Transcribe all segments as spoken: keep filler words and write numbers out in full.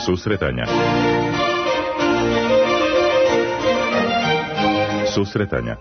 Susretanja. Susretanja.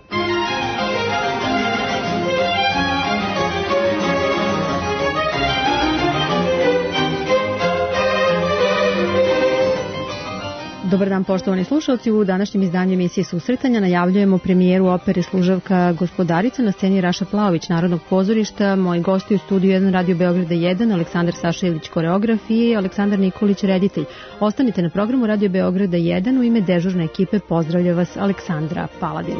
Dobar dan, poštovani slušalci. U današnjem izdanju emisije Susretanja najavljujemo premijeru opere Služavka Gospodarica na sceni Raša Plaović Narodnog pozorišta. Moji gosti u studiju jedan Radio Beograda jedan, Aleksandar Saša Ilić, koreograf, i Aleksandar Nikolić, reditelj. Ostanite na programu Radio Beograda jedan. U ime dežurne ekipe pozdravlja vas Aleksandra Paladin.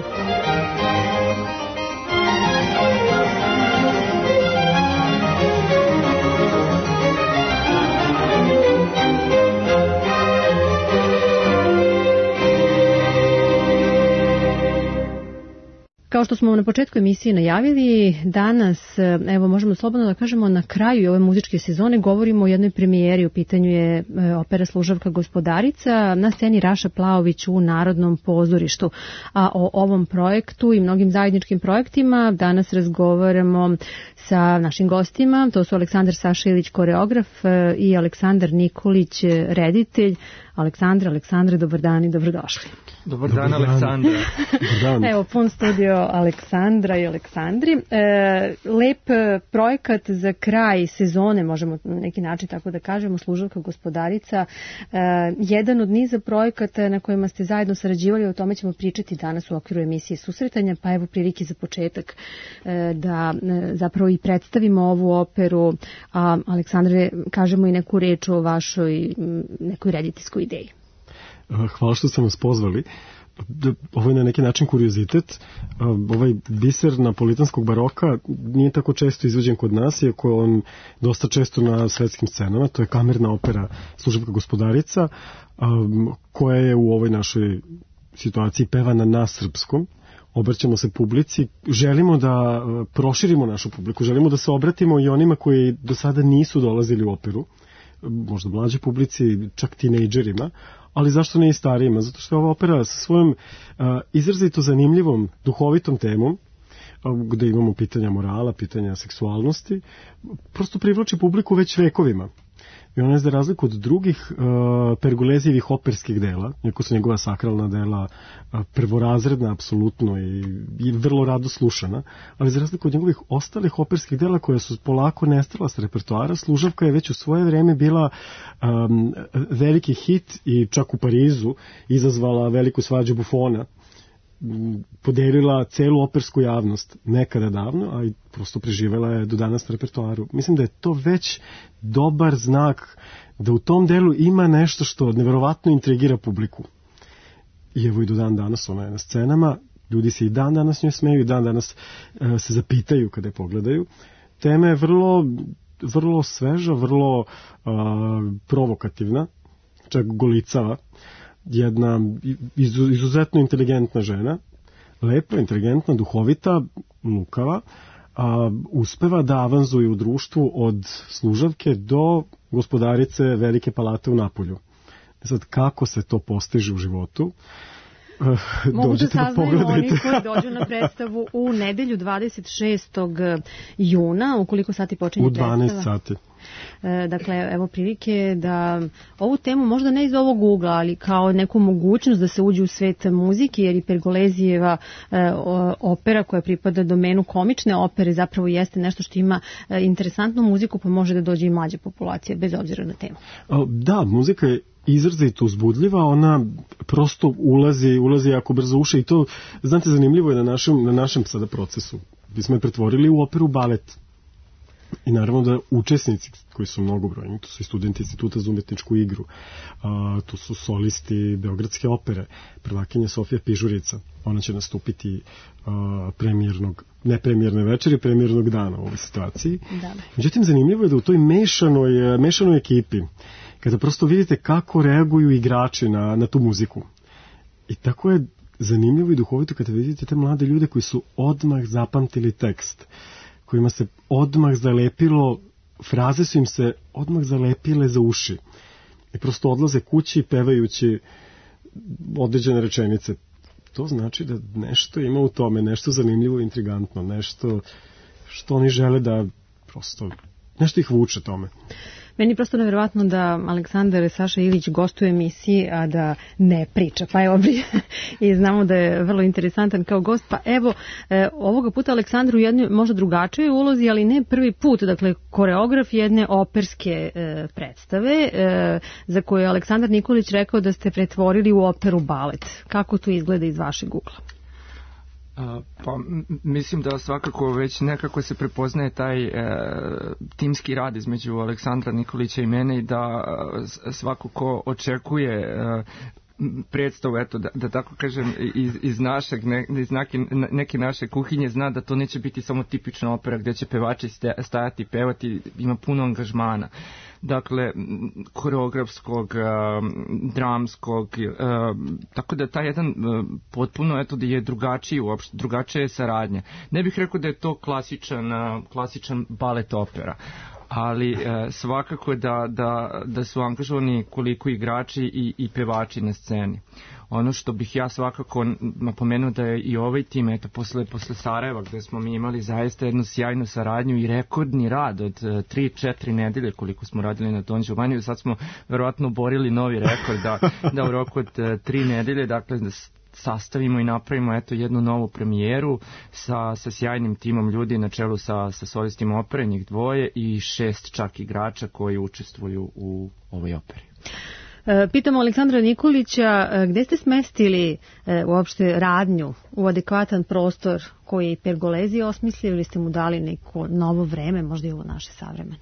Kao što smo na početku emisije najavili, danas, evo možemo slobodno da kažemo, na kraju ove muzičke sezone govorimo o jednoj premijeri. U pitanju je opera Služavka Gospodarica na sceni Raša Plaović u Narodnom pozorištu. A o ovom projektu i mnogim zajedničkim projektima danas razgovaramo sa našim gostima. To su Aleksandar Saša Ilić, koreograf, i Aleksandar Nikolić, reditelj. Aleksandra, Aleksandre, dobar dan i dobrodošli. Dobar dan, Aleksandra. Evo, pun studio Aleksandra i Aleksandri. E, lep projekat za kraj sezone, možemo na neki način tako da kažemo, Služavka Gospodarica. E, jedan od niza projekata na kojima ste zajedno sarađivali, o tome ćemo pričati danas u okviru emisije Susretanja, pa evo prilike za početak e, da e, zapravo i predstavimo ovu operu. A, Aleksandre, kažemo i neku reč o vašoj nekoj rediteljskoj ideji. Hvala što ste nas pozvali. Ovo je na neki način kuriozitet. Ovaj biser napolitanskog baroka nije tako često izvođen kod nas, iako je on dosta često na svetskim scenama. To je kamerna opera Služavka Gospodarica, koja je u ovoj našoj situaciji pevana na srpskom. Obraćamo se publici, želimo da proširimo našu publiku, želimo da se obratimo i onima koji do sada nisu dolazili u operu, možda mlađe publici, čak tinejdžerima, ali zašto ne i starijima? Zato što je ova opera sa svojom uh, izrazito zanimljivom, duhovitom temom, uh, gde imamo pitanja morala, pitanja seksualnosti, prosto privlači publiku već vekovima. I ona je za razliku od drugih uh, Pergolezijevih operskih dela, iako su njegova sakralna dela uh, prvorazredna apsolutno i, i vrlo rado slušana, ali za razliku od njegovih ostalih operskih dela koja su polako nestala s repertoara, Služavka je već u svoje vreme bila um, veliki hit i čak u Parizu izazvala veliku svađu Bufona, podelila celu opersku javnost nekada davno, a i prosto preživela je do danas na repertoaru. Mislim da je to već dobar znak da u tom delu ima nešto što neverovatno intrigira publiku. I evo i do dan danas ona je na scenama, ljudi se i dan danas njoj smeju i dan danas e, se zapitaju kada je pogledaju. Tema je vrlo, vrlo sveža, vrlo e, provokativna, čak golicava. Jedna izuzetno inteligentna žena, lepa, inteligentna, duhovita, lukava, a, uspeva da avanzuje u društvu od Služavke do Gospodarice Velike palate u Napolju. Sad, kako se to postiže u životu? Mogu da saznaju oni koji dođu na predstavu u nedelju dvadeset šestog juna, ukoliko sati počinje predstava. U dvanaest sati. Dakle, evo prilike da ovu temu, možda ne iz ovog ugla, ali kao neku mogućnost da se uđe u svet muzike, jer i Pergolezijeva e, opera koja pripada domenu komične opere zapravo jeste nešto što ima e, interesantnu muziku, pa može da dođe i mlađa populacija, bez obzira na temu. Da, muzika je izrazito uzbudljiva, ona prosto ulazi, ulazi jako brzo u uši i to, znate, zanimljivo je na našem, na našem sada procesu. Mi smo je pretvorili u operu balet. I naravno da učesnici koji su mnogobrojni, to su i studenti Instituta za umetničku igru, a, tu su solisti Beogradske opere, prvakinja Sofija Pižurica, ona će nastupiti a, premijernog, ne premijerne večeri, premijernog dana u ovoj situaciji. Da. Međutim, zanimljivo je da u toj mešanoj, mešanoj ekipi, kada prosto vidite kako reaguju igrači na, na tu muziku. I tako je zanimljivo i duhovito kada vidite te mlade ljude koji su odmah zapamtili tekst, kojima se odmah zalepilo, fraze su im se odmah zalepile za uši. I prosto odlaze kući pevajući određene rečenice. To znači da nešto ima u tome, nešto zanimljivo i intrigantno, nešto što oni žele da prosto, nešto ih vuče tome. Meni je prosto nevjerovatno da Aleksandar Saša Ilić gostuje u emisiji, a da ne priča. Pa evo, i znamo da je vrlo interesantan kao gost. Pa evo, e, ovoga puta Aleksandar u jednoj možda drugačijoj ulozi, ali ne prvi put. Dakle, koreograf jedne operske e, predstave, e, za koju je Aleksandar Nikolić rekao da ste pretvorili u operu balet. Kako to izgleda iz vašeg ugla? Uh, pa mislim da svakako već nekako se prepoznaje taj e, timski rad između Aleksandra Nikolića i mene i da e, svako ko očekuje e, predstavu, eto, da, da tako kažem, iz, iz našeg, ne, iz neke, neke naše kuhinje zna da to neće biti samo tipična opera gdje će pevači stajati i pevati, ima puno angažmana. Dakle, koreografskog, dramskog, tako da taj jedan potpuno, eto, da je drugačiji uopšte, drugačija je saradnja. Ne bih rekao da je to klasičan, klasičan balet opera, ali e, svakako da, da, da su angažovani koliko igrači i, i pevači na sceni. Ono što bih ja svakako napomenuo da je i ovaj tim, eto, posle, posle Sarajeva, gde smo mi imali zaista jednu sjajnu saradnju i rekordni rad od tri četiri nedelje koliko smo radili na Don Giovanni, sad smo verovatno borili novi rekord da, da u roku od tri nedelje, dakle, sastavimo i napravimo eto jednu novu premijeru sa, sa sjajnim timom ljudi na čelu sa, sa solistima opere, njih dvoje i šest čak igrača koji učestvuju u ovoj operi. Pitamo Aleksandra Nikolića, gde ste smestili uopšte radnju u adekvatan prostor koji je Pergolezi osmislio ili ste mu dali neko novo vreme, možda i ovo naše savremeno?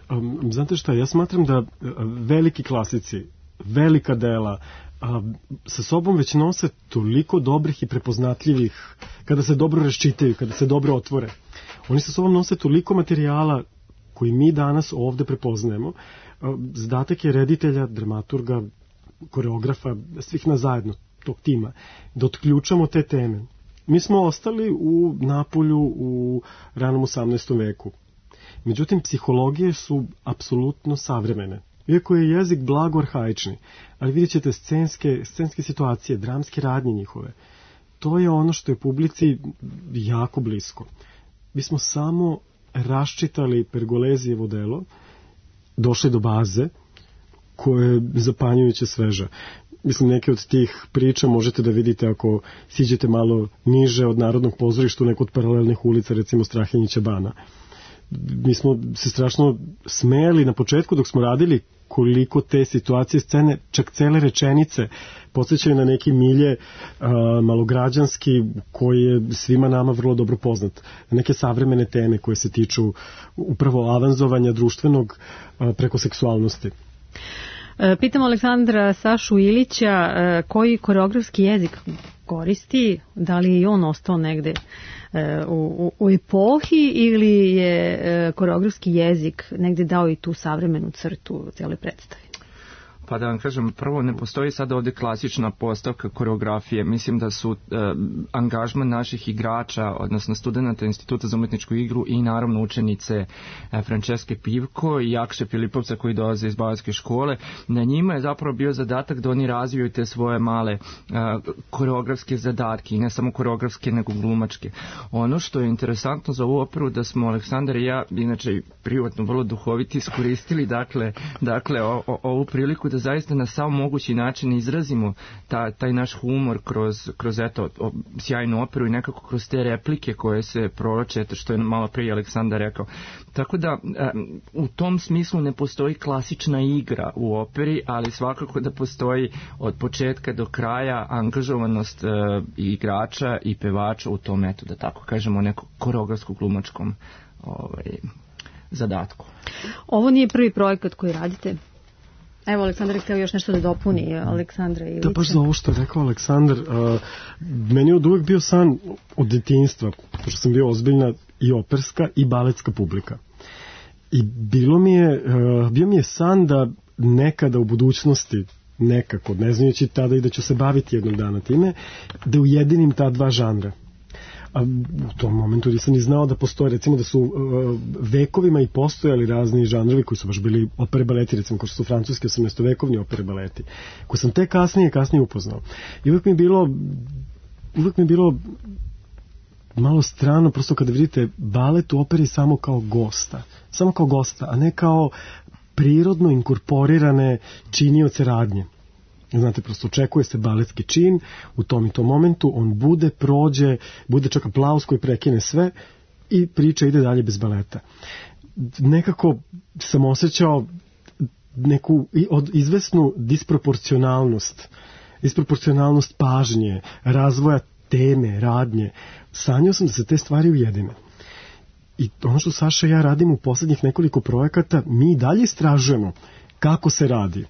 Um, znate šta, ja smatram da veliki klasici, velika dela a, sa sobom već nose toliko dobrih i prepoznatljivih, kada se dobro raščitaju, kada se dobro otvore. Oni sa sobom nose toliko materijala koji mi danas ovde prepoznajemo. Zadatak je reditelja, dramaturga, koreografa, svih nas zajedno, tog tima, da otključamo te teme. Mi smo ostali u Napolju u ranom osamnaestom veku. Međutim, psihologije su apsolutno savremene. Iako je jezik blago arhaični, ali vidjet ćete scenske, scenske situacije, dramske radnje njihove. To je ono što je publici jako blisko. Mi smo samo raščitali Pergolezijevo delo, došli do baze koja je zapanjujuće sveža. Mislim, neke od tih priča možete da vidite ako siđete malo niže od Narodnog pozorišta u neku od paralelnih ulica, recimo Strahinjića bana. Mi smo se strašno smejali na početku dok smo radili koliko te situacije, scene, čak cele rečenice podsjećaju na neki milje a, malograđanski koji je svima nama vrlo dobro poznat. Neke savremene teme koje se tiču upravo avanzovanja društvenog a, preko seksualnosti. Pitamo Aleksandra Sašu Ilića koji koreografski jezik koristi, da li je on ostao negde u, u, u epohi ili je koreografski jezik negde dao i tu savremenu crtu u cijeloj predstavi? Pa da vam kažem, prvo ne postoji sada ovdje klasična postavka koreografije. Mislim da su e, angažman naših igrača, odnosno studenta Instituta za umetničku igru i naravno učenice e, Franceske Pivko i Jakše Filipovca koji dolaze iz baletske škole. Na njima je zapravo bio zadatak da oni razviju te svoje male e, koreografske zadatke i ne samo koreografske nego glumačke. Ono što je interesantno za ovu operu da smo Aleksandar i ja, inače privatno vrlo duhoviti, iskoristili dakle, dakle o, o, ovu priliku da zaista na sav mogući način izrazimo ta, taj naš humor kroz, kroz eto, o, sjajnu operu i nekako kroz te replike koje se proroče, eto što je malo prije Aleksandar rekao. Tako da e, u tom smislu ne postoji klasična igra u operi, ali svakako da postoji od početka do kraja angažovanost e, igrača i pevača u tom, eto da tako kažemo, nekom koreografsko-glumačkom ovaj, zadatku. Ovo nije prvi projekat koji radite? Evo, Aleksandar je htio još nešto da dopuni, Aleksandra Ilića. Da, baš za ovo što je rekao Aleksandar, uh, meni je od uvek bio san od detinjstva, pošto sam bio ozbiljna i operska i baletska publika. I bilo mi je, uh, bio mi je san da nekada u budućnosti, nekako, ne znajući tada i da ću se baviti jednog dana time, da ujedinim ta dva žanra. A u tom momentu nisam ni znao da postoje, recimo da su uh, vekovima i postojali razni žanrovi koji su baš bili opere baleti, recimo kao što su francuski osamnaestovekovni opere baleti, koje sam te kasnije kasnije upoznao. I uvijek mi je bilo uvijek mi je bilo malo strano prosto kada vidite balet u operi samo kao gosta, samo kao gosta, a ne kao prirodno inkorporirane činioce radnje. Znate, prosto očekuje se baletski čin u tom i tom momentu, on bude, prođe, bude čak aplauz koji prekine sve i priča ide dalje bez baleta. Nekako sam osjećao neku od izvesnu disproporcionalnost, disproporcionalnost pažnje, razvoja teme, radnje. Sanjao sam da se te stvari ujedine. I ono što Saša i ja radimo u poslednjih nekoliko projekata, mi dalje istražujemo kako se radi,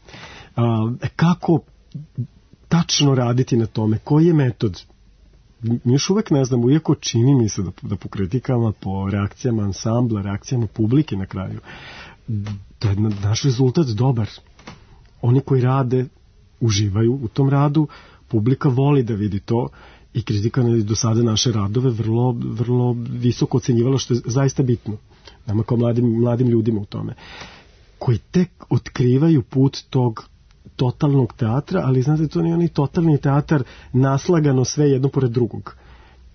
kako tačno raditi na tome, koji je metod. Mi još uvek ne znamo, iako čini mi se da, da po kritikama, po reakcijama ansambla, reakcijama publike na kraju, da je naš rezultat dobar. Oni koji rade uživaju u tom radu, publika voli da vidi to i kritika je do sada naše radove vrlo, vrlo visoko ocenjivala, što je zaista bitno nama kao mladim, mladim ljudima u tome, koji tek otkrivaju put tog totalnog teatra, ali znate, to nije onaj totalni teatar naslagano sve jedno pored drugog.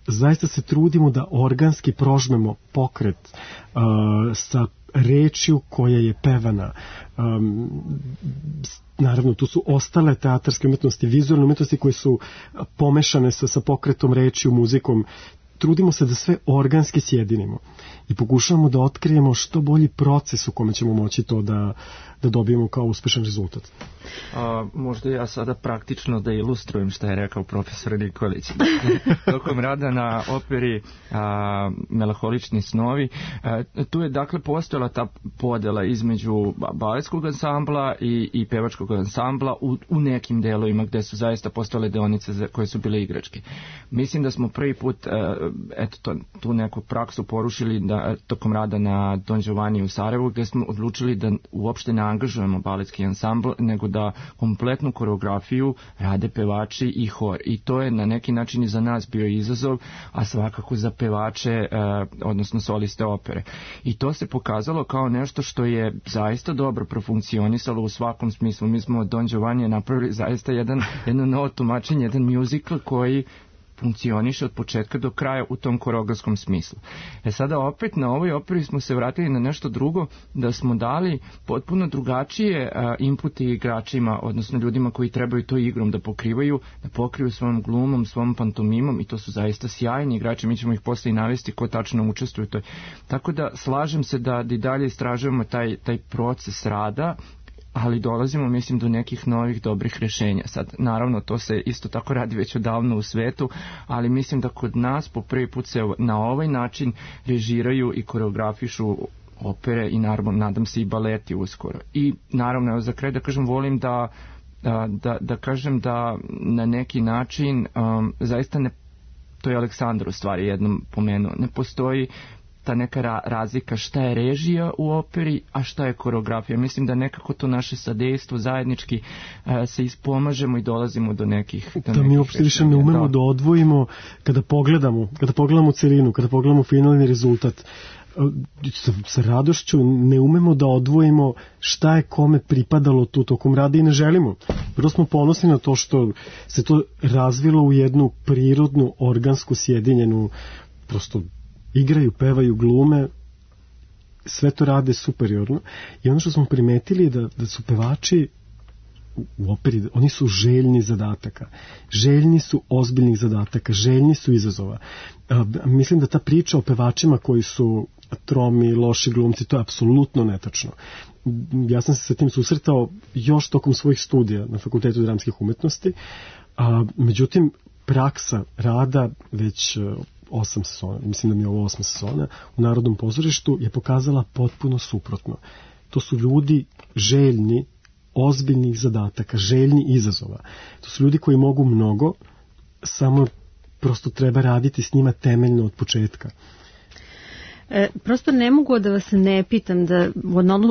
Zaista se trudimo da organski prožmemo pokret uh, sa rečju koja je pevana. Um, naravno, tu su ostale teatarske umetnosti, vizualne umetnosti koje su pomešane sa, sa pokretom rečju, muzikom. Trudimo se da sve organski sjedinimo i pokušavamo da otkrijemo što bolji proces u kome ćemo moći to da, da dobijemo kao uspešan rezultat. A, možda ja sada praktično da ilustrujem što je rekao profesor Nikolić. Tokom rada na operi a, Melanholični snovi, a, tu je dakle postojala ta podela između baletskog ansambla i, i pevačkog ansambla u, u nekim delovima gde su zaista postojale deonice za, koje su bile igračke. Mislim da smo prvi put a, eto to, tu neku praksu porušili da, tokom rada na Don Giovanni u Sarajevu, gde smo odlučili da uopšte ne angažujemo baletski ansambl, nego da kompletnu koreografiju rade pevači i hor. I to je na neki način i za nas bio izazov, a svakako za pevače, eh, odnosno soliste opere. I to se pokazalo kao nešto što je zaista dobro profunkcionisalo u svakom smislu. Mi smo od Don Giovanni napravili zaista jedan, jedno novo tumačenje, jedan musical koji funkcioniše od početka do kraja u tom koreografskom smislu. E sada opet na ovoj operi smo se vratili na nešto drugo, da smo dali potpuno drugačije a, inpute igračima, odnosno ljudima koji trebaju to igrom da pokrivaju, da pokriju svojom glumom, svom pantomimom, i to su zaista sjajni igrači, mi ćemo ih posle i navesti ko tačno učestvuje u toj. Tako da slažem se da i dalje istražujemo taj, taj proces rada, ali dolazimo, mislim, do nekih novih dobrih rješenja. Sad, naravno, to se isto tako radi već odavno u svetu, ali mislim da kod nas po prvi put se na ovaj način režiraju i koreografišu opere i naravno, nadam se, i baleti uskoro. I naravno, evo, za kraj da kažem, volim da, da, da, da kažem da na neki način um, zaista ne, to je Aleksandar u stvari jednom pomenuo, ne postoji ta neka ra- razlika šta je režija u operi, a šta je koreografija. Mislim da nekako to naše sadejstvo zajednički uh, se ispomažemo i dolazimo do nekih... Do da nekih mi uopšte više ne umemo da. da odvojimo kada pogledamo, kada pogledamo celinu, kada pogledamo finalni rezultat. Sa, sa radošću ne umemo da odvojimo šta je kome pripadalo tu tokom rada i ne želimo. Prvo smo ponosni na to što se to razvilo u jednu prirodnu, organsku, sjedinjenu, prosto igraju, pevaju, glume, sve to rade superiorno. I ono što smo primetili je da, da su pevači u operi, oni su željni zadataka. Željni su ozbiljnih zadataka, željni su izazova. A, mislim da ta priča o pevačima koji su tromi, loši glumci, to je apsolutno netačno. Ja sam se sa tim susretao još tokom svojih studija na Fakultetu dramskih umetnosti, a, međutim, praksa rada već osam sezona, mislim da mi je ovo osma sezona, u Narodnom pozorištu je pokazala potpuno suprotno. To su ljudi željni ozbiljnih zadataka, željni izazova. To su ljudi koji mogu mnogo, samo prosto treba raditi s njima temeljno od početka. E, prosto ne mogu da vas ne pitam da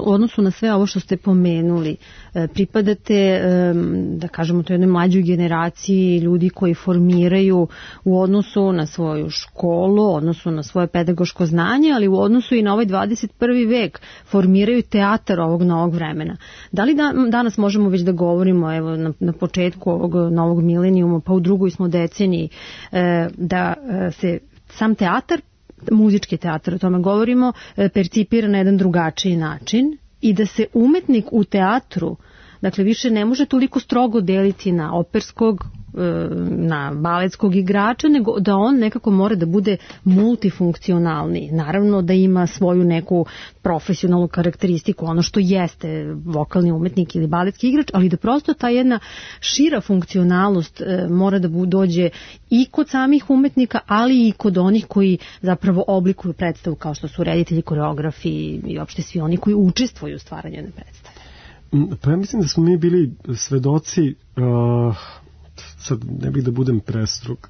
u odnosu na sve ovo što ste pomenuli, e, pripadate, e, da kažemo, to jednoj mlađoj generaciji ljudi koji formiraju u odnosu na svoju školu, odnosu na svoje pedagoško znanje, ali u odnosu i na ovaj dvadeset prvi vek formiraju teatar ovog novog vremena. Da li da, danas možemo već da govorimo, evo, na, na početku ovog novog milenijuma, pa u drugoj smo deceniji, e, da e, se sam teatar, muzički teatar, o tome govorimo, percipira na jedan drugačiji način i da se umetnik u teatru, dakle više ne može toliko strogo deliti na operskog, na baletskog igrača, nego da on nekako mora da bude multifunkcionalni. Naravno da ima svoju neku profesionalnu karakteristiku, ono što jeste vokalni umetnik ili baletski igrač, ali da prosto ta jedna šira funkcionalnost mora da dođe i kod samih umetnika, ali i kod onih koji zapravo oblikuju predstavu, kao što su reditelji, koreografi i uopšte svi oni koji učestvuju u stvaranju jedne predstave. Pa ja mislim da smo mi bili svedoci, uh, sad ne bih da budem prestrog,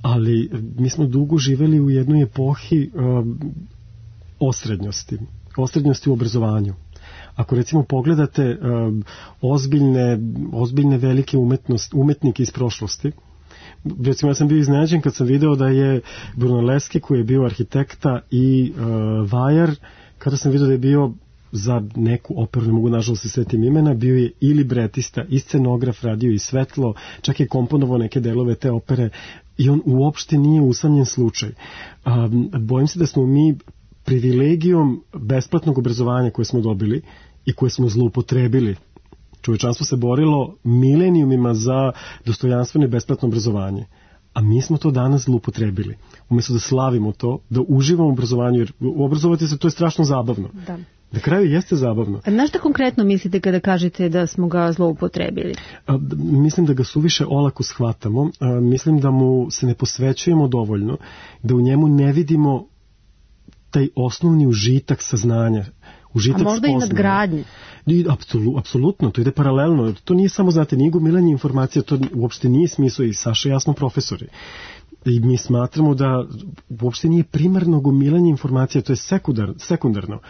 ali mi smo dugo živeli u jednoj epohi uh, osrednjosti, osrednjosti u obrazovanju. Ako recimo pogledate uh, ozbiljne, ozbiljne velike umetnost, umetnike iz prošlosti, recimo ja sam bio iznenađen kad sam video da je Brunelleschi, koji je bio arhitekta, i uh, Vajar, kada sam video da je bio za neku operu, ne mogu nažalost se setim imena, bio je i libretista, i scenograf, radio i svetlo, čak je komponovao neke delove te opere i on uopšte nije usamljen slučaj. Um, bojim se da smo mi privilegijom besplatnog obrazovanja koje smo dobili i koje smo zloupotrebili, čovečanstvo se borilo milenijumima za dostojanstveno i besplatno obrazovanje, a mi smo to danas zloupotrebili. Umjesto da slavimo to, da uživamo u obrazovanju, jer obrazovati se, to je strašno zabavno. Da. Na kraju jeste zabavno. A na šta konkretno mislite kada kažete da smo ga zloupotrebili? A, mislim da ga suviše olako shvatamo. A, mislim da mu se ne posvećujemo dovoljno, da u njemu ne vidimo taj osnovni užitak saznanja. Užitak A možda spoznanja. I nadgradnje. Apsolu, apsolutno, to ide paralelno. To nije samo, znate, nije gomilanje informacija, to uopšte nije smisao, i Saša jasno profesori. I mi smatramo da uopšte nije primarno gomilanje informacija, to je sekundar, sekundarno.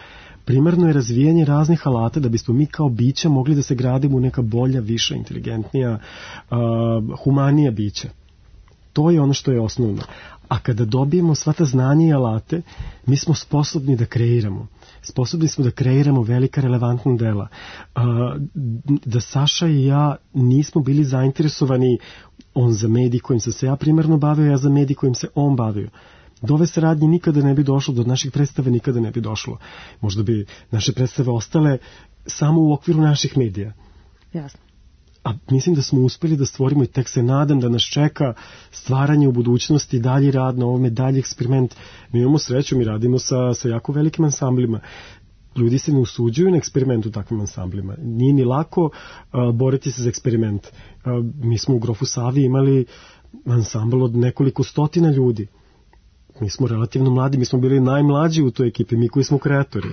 Primarno je razvijanje raznih alata da bismo mi kao bića mogli da se gradimo u neka bolja, viša, inteligentnija, uh, humanija bića. To je ono što je osnovno. A kada dobijemo sva ta znanja i alate, mi smo sposobni da kreiramo. Sposobni smo da kreiramo velika relevantna dela. Uh, da Saša i ja nismo bili zainteresovani, on za medij kojim sam se ja primarno bavio, ja za medij kojim se on bavio. Do ove saradnje nikada ne bi došlo, do naših predstave nikada ne bi došlo. Možda bi naše predstave ostale samo u okviru naših medija. Jasno. A mislim da smo uspeli da stvorimo, i tek se nadam da nas čeka stvaranje u budućnosti, dalji rad na ovome, dalji eksperiment. Mi imamo sreću, mi radimo sa, sa jako velikim ansamblima. Ljudi se ne usuđuju na eksperiment u takvim ansamblima. Nije ni lako uh, boriti se za eksperiment. Uh, mi smo u Grofu Savi imali ansambl od nekoliko stotina ljudi. Mi smo relativno mladi, mi smo bili najmlađi u toj ekipi, mi koji smo kreatori.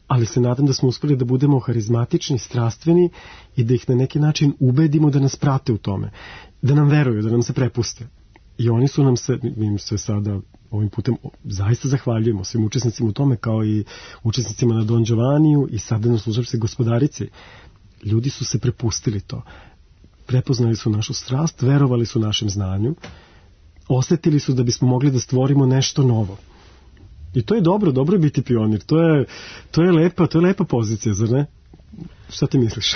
Ali se nadam da smo uspeli da budemo harizmatični, strastveni i da ih na neki način ubedimo da nas prate u tome. Da nam veruju, da nam se prepuste. I oni su nam se, mi im se sada ovim putem zaista zahvaljujemo svim učesnicima u tome, kao i učesnicima na Don Giovaniju i sada na služavci Gospodarici. Ljudi su se prepustili to. Prepoznali su našu strast, verovali su našem znanju, osetili su da bismo mogli da stvorimo nešto novo. I to je dobro, dobro je biti pionir. To je, to je lepa, to je lepa pozicija, zar ne? Šta ti misliš?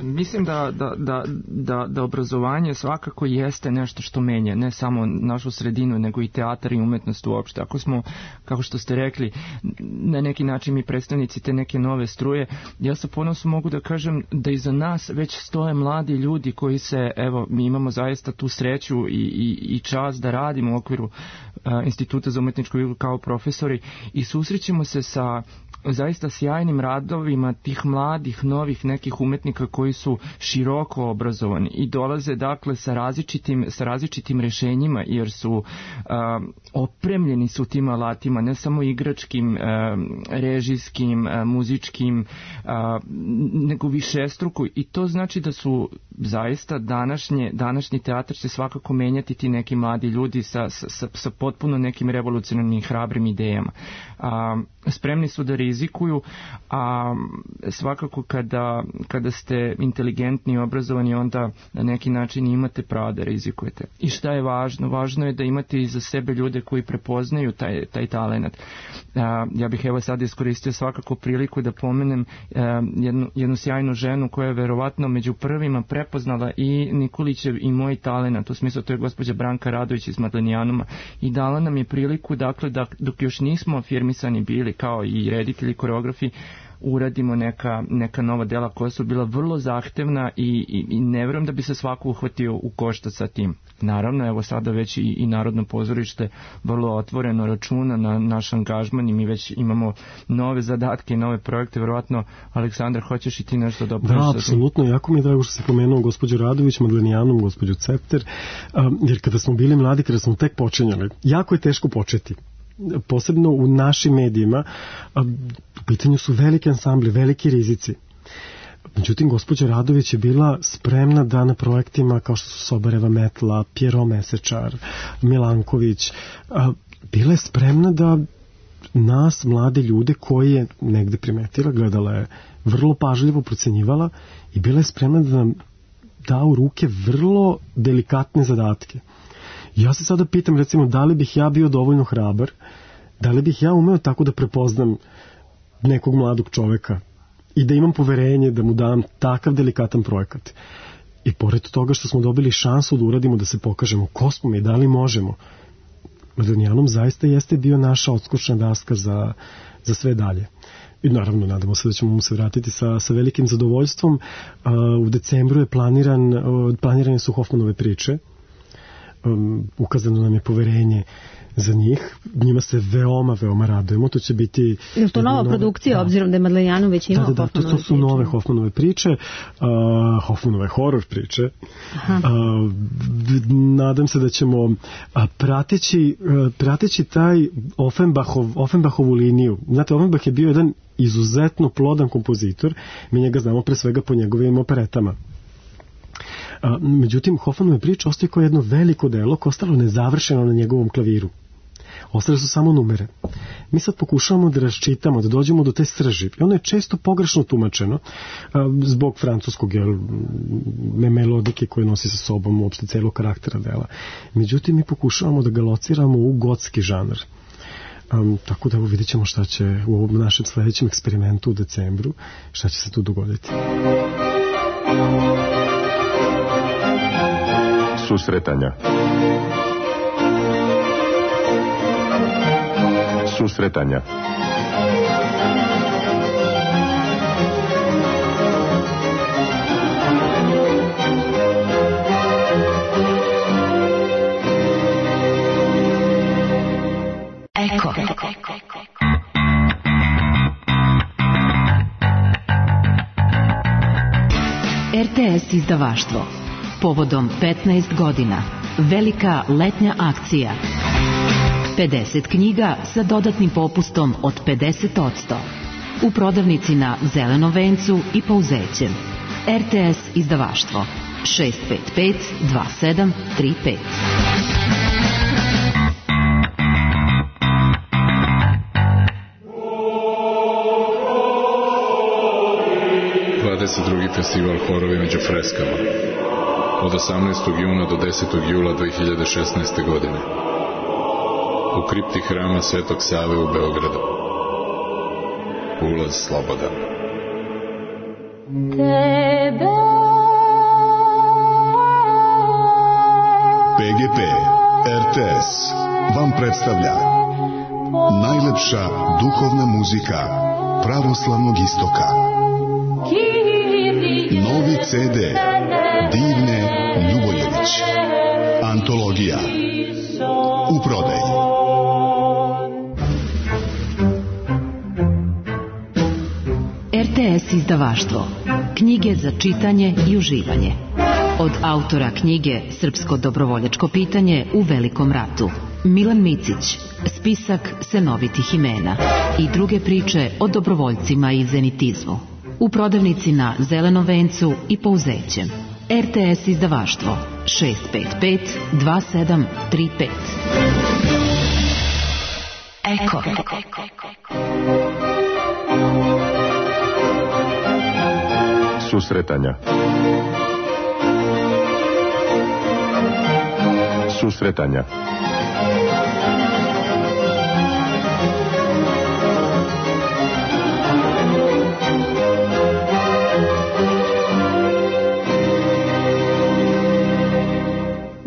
Mislim da, da, da, da, da obrazovanje svakako jeste nešto što menja, ne samo našu sredinu, nego i teatar i umetnost uopšte. Ako smo, kako što ste rekli, na neki način mi predstavnici te neke nove struje, ja sa ponosom mogu da kažem da iza nas već stoje mladi ljudi koji se, evo, mi imamo zaista tu sreću i, i, i čast da radimo u okviru a, Instituta za umetničku igru kao profesori i susrećemo se sa zaista sjajnim radovima tih mladih, novih nekih umetnika koji su široko obrazovani i dolaze dakle sa različitim, sa različitim rešenjima, jer su uh, opremljeni su tim alatima, ne samo igračkim, uh, režijskim, uh, muzičkim, uh, nego višestruko, i to znači da su zaista današnje, današnji teatar će svakako menjati ti neki mladi ljudi sa, sa, sa potpuno nekim revolucionarnim hrabrim idejama. Uh, spremni su da rizikuju, a svakako kada, kada ste inteligentni i obrazovani, onda na neki način imate pravo da rizikujete. I šta je važno? Važno je da imate iza sebe ljude koji prepoznaju taj, taj talent. Ja bih evo sad iskoristio svakako priliku da pomenem jednu, jednu sjajnu ženu koja je verovatno među prvima prepoznala i Nikolićev i moj talent, u smislu to je gospođa Branka Radović iz Madlenijanuma, i dala nam je priliku, dakle, da dok još nismo afirmisani bili kao i reditelji, koreografi, uradimo neka, neka nova dela koja su bila vrlo zahtevna i, i, i ne vjerujem da bi se svako uhvatio u koštac sa tim. Naravno, evo sada već i, i Narodno pozorište vrlo otvoreno računa na naš angažman i mi već imamo nove zadatke i nove projekte. Vjerovatno, Aleksandar, hoćeš i ti nešto da opraviš? Da, apsolutno. Jako mi je drago što si pomenuo gospođu Radović, Madlenijanom, gospođu Cepter, um, jer kada smo bili mladi, kada smo tek počinjali, jako je teško početi. Posebno u našim medijima, u pitanju su veliki ansambli, veliki rizici. Međutim, gospođa Radović je bila spremna da na projektima kao što su Sobareva metla, Pjero Mesečar, Milanković, bila je spremna da nas, mlade ljude koje je negde primetila, gledala je vrlo pažljivo, procenjivala i bila je spremna da nam da u ruke vrlo delikatne zadatke. Ja se sada pitam, recimo, da li bih ja bio dovoljno hrabar, da li bih ja umeo tako da prepoznam nekog mladog čoveka i da imam poverenje da mu dam takav delikatan projekat. I pored toga što smo dobili šansu da uradimo, da se pokažemo ko smo mi i da li možemo, Madlenijanom zaista jeste bio naša odskočna daska za, za sve dalje. I naravno, nadamo se da ćemo mu se vratiti sa, sa velikim zadovoljstvom. Uh, u decembru je planiran, uh, planirane su Hoffmanove priče. Um, ukazano nam je poverenje za njih. Njima se veoma, veoma radujemo. To će biti... Je to nova nove, produkcija, da, obzirom da je Madlenijanov već imao da, da, Hoffmanove priče? To su priče. nove Hoffmanove priče, uh, Hoffmanove horor priče. Uh, nadam se da ćemo uh, prateći, uh, prateći taj Offenbachov, Offenbachovu liniju. Znate, Offenbach je bio jedan izuzetno plodan kompozitor. Mi njega znamo pre svega po njegovim operetama. A, međutim, Hoffmanove priče ostaje kao jedno veliko delo koje ostalo nezavršeno na njegovom klaviru. Ostale su samo numere. Mi sad pokušavamo da raščitamo, da dođemo do te srži. I ono je često pogrešno tumačeno a, zbog francuskog jel, melodike koje nosi sa sobom uopšte celog karaktera dela. Međutim, mi pokušavamo da ga lociramo u gotski žanr. Um, tako da evo vidjet ćemo šta će u ovom našem sledećem eksperimentu u decembru, šta će se tu dogoditi. Susretanja. Susretanja. Eko. R T S izdavaštvo. Povodom petnaest godina. Velika letnja akcija. pedeset knjiga sa dodatnim popustom od pedeset posto. U prodavnici na Zelenom vencu i Pouzećem. R T S izdavaštvo. šest pet pet dva sedam tri pet. dvadeset drugi festival Horovi među freskama. Od osamnaestog juna do desetog jula dve hiljade šesnaeste. godine. U kripti hrama Svetog Save u Beogradu. Ulaz slobodan. Tebe. P G P R T S vam predstavlja najlepša duhovna muzika pravoslavnog istoka. Novi C D Divne Ljubojević. Antologija. U prodaji. R T S izdavaštvo. Knjige za čitanje i uživanje. Od autora knjige Srpsko dobrovoljačko pitanje u Velikom ratu. Milan Micić. Spisak senovitih imena. I druge priče o dobrovoljcima i zenitizmu. U prodavnici na Zelenom vencu i Pouzećem. R T S izdavaštvo. šest pet pet dva sedam tri pet. Eko. Susretanja. Susretanja.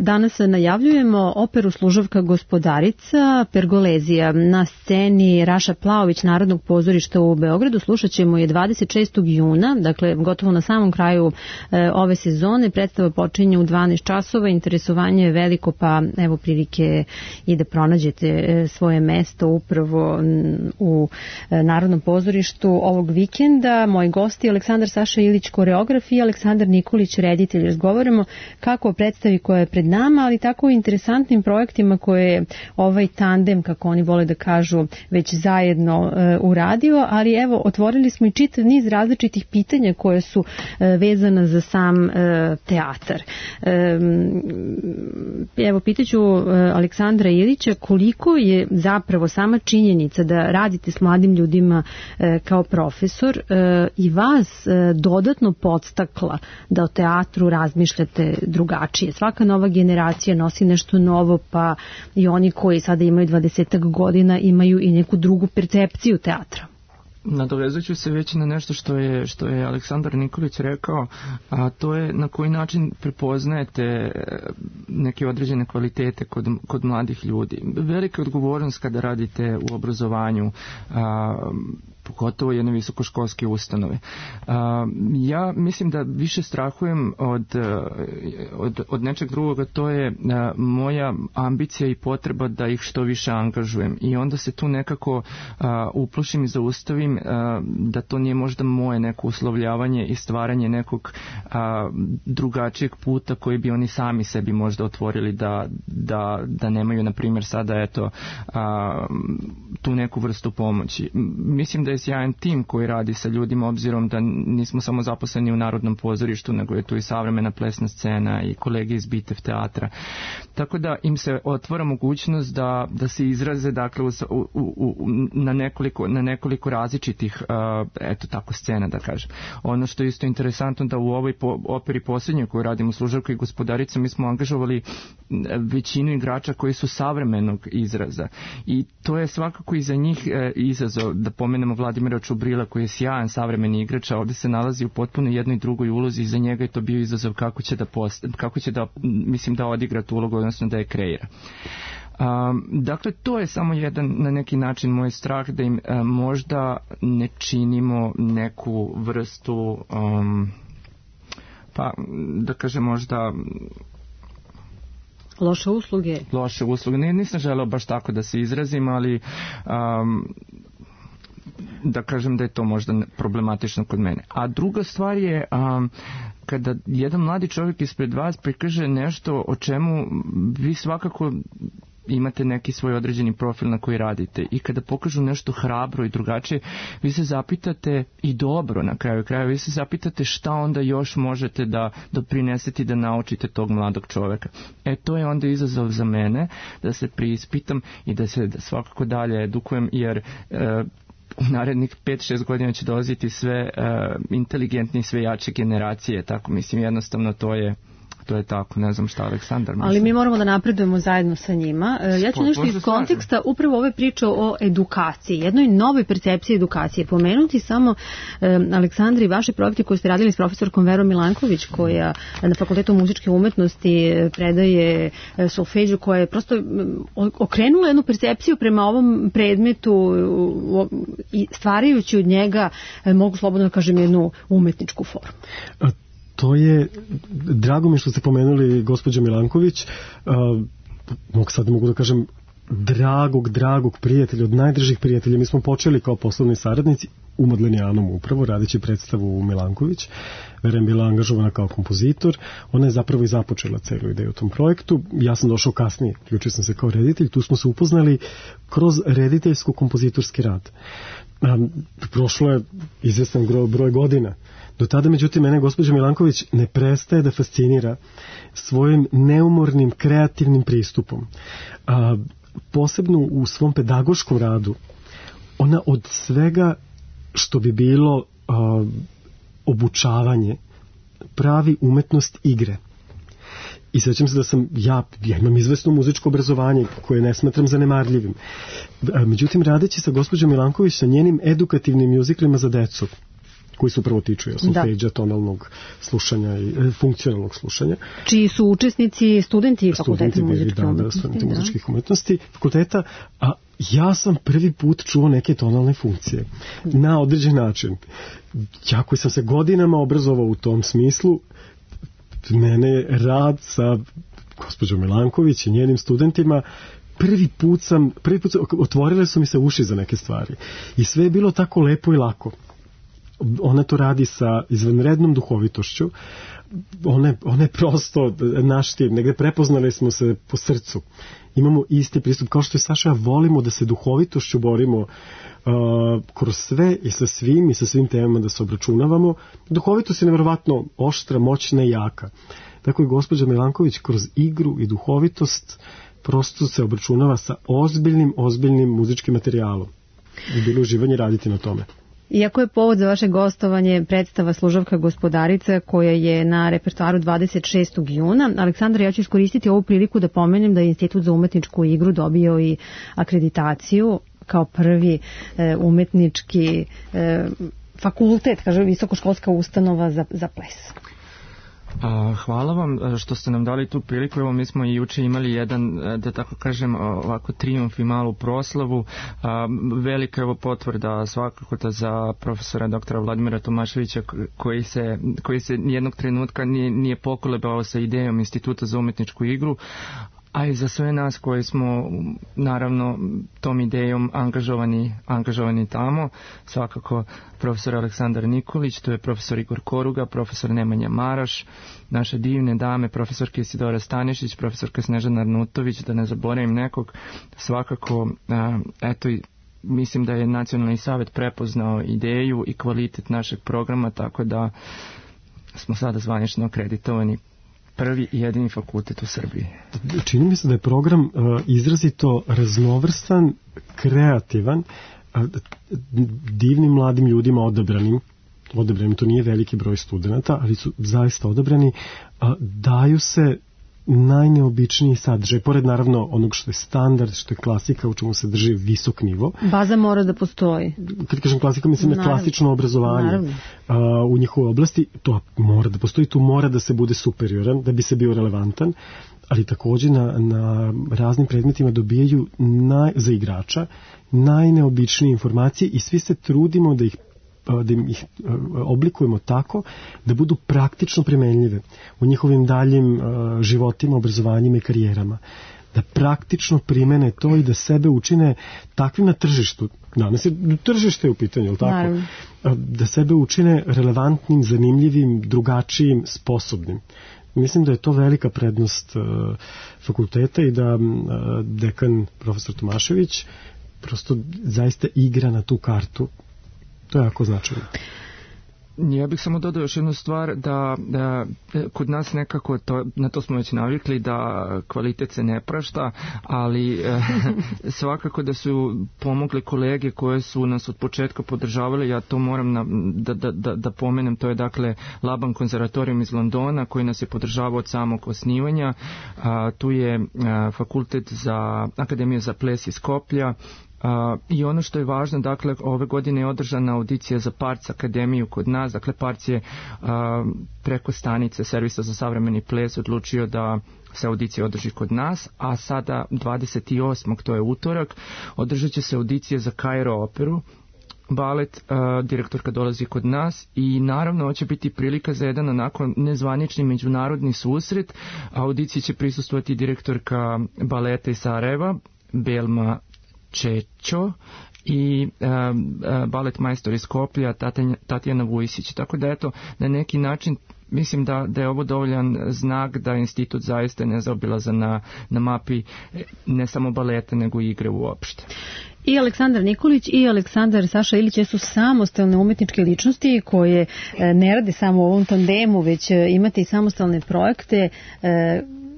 Danas najavljujemo operu Služavka gospodarica Pergolezija. Na sceni Raša Plaović Narodnog pozorišta u Beogradu. Slušat ćemo je dvadeset šestog juna, dakle gotovo na samom kraju e, ove sezone. Predstava počinje u dvanaest časova, interesovanje je veliko, pa evo prilike i da pronađete e, svoje mesto upravo u e, Narodnom pozorištu ovog vikenda. Moji gosti Aleksandar Saša Ilić, koreograf, i Aleksandar Nikolić, reditelj. Razgovaramo kako o predstavi koja je pred nama, ali tako i interesantnim projektima koje je ovaj tandem, kako oni vole da kažu, već zajedno e, uradio, ali evo, otvorili smo i čitav niz različitih pitanja koje su e, vezana za sam e, teatar. E, evo, pitaću e, Aleksandra Ilića koliko je zapravo sama činjenica da radite s mladim ljudima e, kao profesor e, i vas e, dodatno podstakla da o teatru razmišljate drugačije. Svaka nova generacija nosi nešto novo, pa i oni koji sada imaju dvadesetak godina imaju i neku drugu percepciju teatra. Nadovezat ću se već na nešto što je, što je Aleksandar Nikolić rekao, a to je na koji način prepoznajete neke određene kvalitete kod, kod mladih ljudi. Velika odgovornost kada radite u obrazovanju, a, pogotovo jedne visokoškolske ustanove. A, ja mislim da više strahujem od, od, od nečeg drugoga, to je a, moja ambicija i potreba da ih što više angažujem. I onda se tu nekako a, uplošim i zaustavim a, da to nije možda moje neko uslovljavanje i stvaranje nekog a, drugačijeg puta koji bi oni sami sebi možda otvorili da, da, da nemaju, na primjer, sada eto a, tu neku vrstu pomoći. Mislim da je sjajan tim koji radi sa ljudima, obzirom da nismo samo zaposleni u Narodnom pozorištu, nego je tu i savremena plesna scena i kolege iz Bitev teatra. Tako da im se otvara mogućnost da, da se izraze, dakle, u, u, u, na, nekoliko, na nekoliko različitih uh, eto tako scena, da kažem. Ono što je isto interesantno da u ovoj po, operi posljednjoj koju radimo, Služavka i gospodarica, mi smo angažovali većinu igrača koji su savremenog izraza i to je svakako i za njih e, izazov. Da pomenemo Vladimira Čubrila koji je sjajan savremeni igrač, a ovdje se nalazi u potpuno jednoj drugoj ulozi i za njega je to bio izazov kako će da, post, kako će da mislim da odigra tu ulogu, odnosno da je kreira. Um, dakle, to je samo jedan na neki način moj strah da im um, možda ne činimo neku vrstu um, pa da kažem možda loše usluge. Loše usluge. Ne, nisam želeo baš tako da se izrazim, ali um, da kažem da je to možda problematično kod mene. A druga stvar je um, kada jedan mladi čovjek ispred vas prikaže nešto o čemu vi svakako imate neki svoj određeni profil na koji radite i kada pokažu nešto hrabro i drugačije, vi se zapitate, i dobro na kraju kraja, vi se zapitate šta onda još možete da doprinesete i da naučite tog mladog čovjeka. E, to je onda izazov za mene, da se preispitam i da se da svakako dalje edukujem, jer e, u narednih pet šest godina će dolaziti sve uh, inteligentne i sve jače generacije, tako mislim, jednostavno to je to je tako, ne znam šta Aleksandar misli. Ali mi moramo da napredujemo zajedno sa njima. Ja ću nešto iz konteksta upravo ove priče o edukaciji, jednoj novoj percepciji edukacije. Pomenuti samo Aleksandra i vaše projekte koje ste radili s profesorkom Verom Milanković, koja na Fakultetu muzičke umetnosti predaje solfeđu, koja je prosto okrenula jednu percepciju prema ovom predmetu i stvarajući od njega, mogu slobodno da kažem, jednu umetničku formu. To je, drago mi što ste pomenuli gospođa Milanković, uh, mogu sad mogu da kažem dragog, dragog prijatelja, od najdržih prijatelja. Mi smo počeli kao poslovni saradnici u Modlenijanom upravo, radeći predstavu u Milanković. Vera je bila angažovana kao kompozitor. Ona je zapravo i započela celu ideju u tom projektu. Ja sam došao kasnije, ključio sam se kao reditelj. Tu smo se upoznali kroz rediteljsko-kompozitorski rad. Um, prošlo je izvestan broj godina. Do tada, međutim, mene gospođa Milanković ne prestaje da fascinira svojim neumornim, kreativnim pristupom. A, posebno u svom pedagoškom radu, ona od svega što bi bilo a, obučavanje pravi umetnost igre. I sećam se da sam, ja, ja imam izvesno muzičko obrazovanje koje ne smatram zanemarljivim. Međutim, radeći sa gospođom Milanković sa njenim edukativnim mjuziklima za decu, koji su prvo tiču solfeđa, tonalnog slušanja i e, funkcionalnog slušanja. Čiji su učesnici studenti fakulteta muzičkih da, umetnosti. Da, studenti da. muzičkih umetnosti fakulteta, a ja sam prvi put čuo neke tonalne funkcije na određen način. Ja koji sam se godinama obrazovao u tom smislu, mene rad sa gospođom Milanković i njenim studentima prvi put sam, prvi put sam, otvorile su mi se uši za neke stvari. I sve je bilo tako lepo i lako. Ona to radi sa izvanrednom duhovitošću. Ona, ona je prosto naš tim. Negde prepoznali smo se po srcu. Imamo isti pristup. Kao što je Saša, ja volimo da se duhovitošću borimo uh, kroz sve i sa svim i sa svim temama da se obračunavamo. Duhovitost je nevjerovatno oštra, moćna i jaka. Tako i gospođa Milanković kroz igru i duhovitost prosto se obračunava sa ozbiljnim, ozbiljnim muzičkim materijalom. I bilo uživanje raditi na tome. Iako je povod za vaše gostovanje predstava Služavka gospodarica koja je na repertoaru dvadeset šestog juna, Aleksandra, ja ću iskoristiti ovu priliku da pomenem da je Institut za umetničku igru dobio i akreditaciju kao prvi e, umetnički e, fakultet, kaže visokoškolska ustanova za, za ples. A, hvala vam što ste nam dali tu priliku. Evo, mi smo i juče imali jedan, da tako kažem, ovako trijumf i malu proslavu. A, velika je ovo potvrda svakako da za profesora doktora Vladimira Tomaševića koji se, koji se nijednog trenutka nije, nije pokolebao sa idejom Instituta za umetničku igru, a i za sve nas koji smo naravno tom idejom angažovani, angažovani tamo, svakako profesor Aleksandar Nikolić, to je profesor Igor Koruga, profesor Nemanja Maraš, naše divne dame, profesorka Isidora Stanišić, profesorka Snežana Arnutović, da ne zaboravim nekog, svakako, eto, mislim da je Nacionalni savet prepoznao ideju i kvalitet našeg programa, tako da smo sada zvanično akreditovani prvi i jedini fakultet u Srbiji. Čini mi se da je program uh, izrazito raznovrstan, kreativan, uh, divnim mladim ljudima odabranim, odabranim, to nije veliki broj studenta, ali su zaista odabrani, uh, daju se najneobičniji sadržaj, pored naravno onog što je standard, što je klasika, u čemu se drži visok nivo. Baza mora da postoji. Kad kažem klasika, mislim na klasično obrazovanje a, u njihovoj oblasti, to mora da postoji, tu mora da se bude superioran, da bi se bio relevantan, ali takođe na, na raznim predmetima dobijaju naj, za igrača najneobičnije informacije i svi se trudimo da ih da ih oblikujemo tako da budu praktično primenljive u njihovim daljim životima, obrazovanjima i karijerama. Da praktično primene to i da sebe učine takvim na tržištu. Danas je tržište u pitanju, je li tako? Naravno. Da sebe učine relevantnim, zanimljivim, drugačijim, sposobnim. Mislim da je to velika prednost fakulteta i da dekan profesor Tomašević prosto zaista igra na tu kartu. To je jako značajno. Ja bih samo dodao još jednu stvar, da, da kod nas nekako, to, na to smo već navikli, da kvalitet se ne prašta, ali eh, svakako da su pomogli kolege koje su nas od početka podržavali, ja to moram na, da, da, da, da pomenem, to je dakle Laban konzervatorijum iz Londona koji nas je podržavao od samog osnivanja, a, tu je a, fakultet za Akademiju za ples iz Skoplja. Uh, i ono što je važno, dakle, ove godine je održana audicija za Parc akademiju kod nas, dakle Parc je uh, preko stanice Servisa za savremeni ples odlučio da se audicija održi kod nas, a sada dvadeset osmog to je utorak, održat će se audicija za Kairo operu, balet, uh, direktorka dolazi kod nas i naravno ovo će biti prilika za jedan onako nezvanični međunarodni susret. Audiciji će prisustvovati direktorka baleta iz Sarajeva, Belma Čečo i uh, uh, balet majstor iz Skoplja, Tatjana Vujsić. Tako da eto, na neki način mislim da, da je ovo dovoljan znak da institut zaista ne zaobilazan na, na mapi ne samo baleta nego i igre uopšte. I Aleksandar Nikolić i Aleksandar Saša Ilić su samostalne umetničke ličnosti koje ne rade samo u ovom tandemu, već imate i samostalne projekte.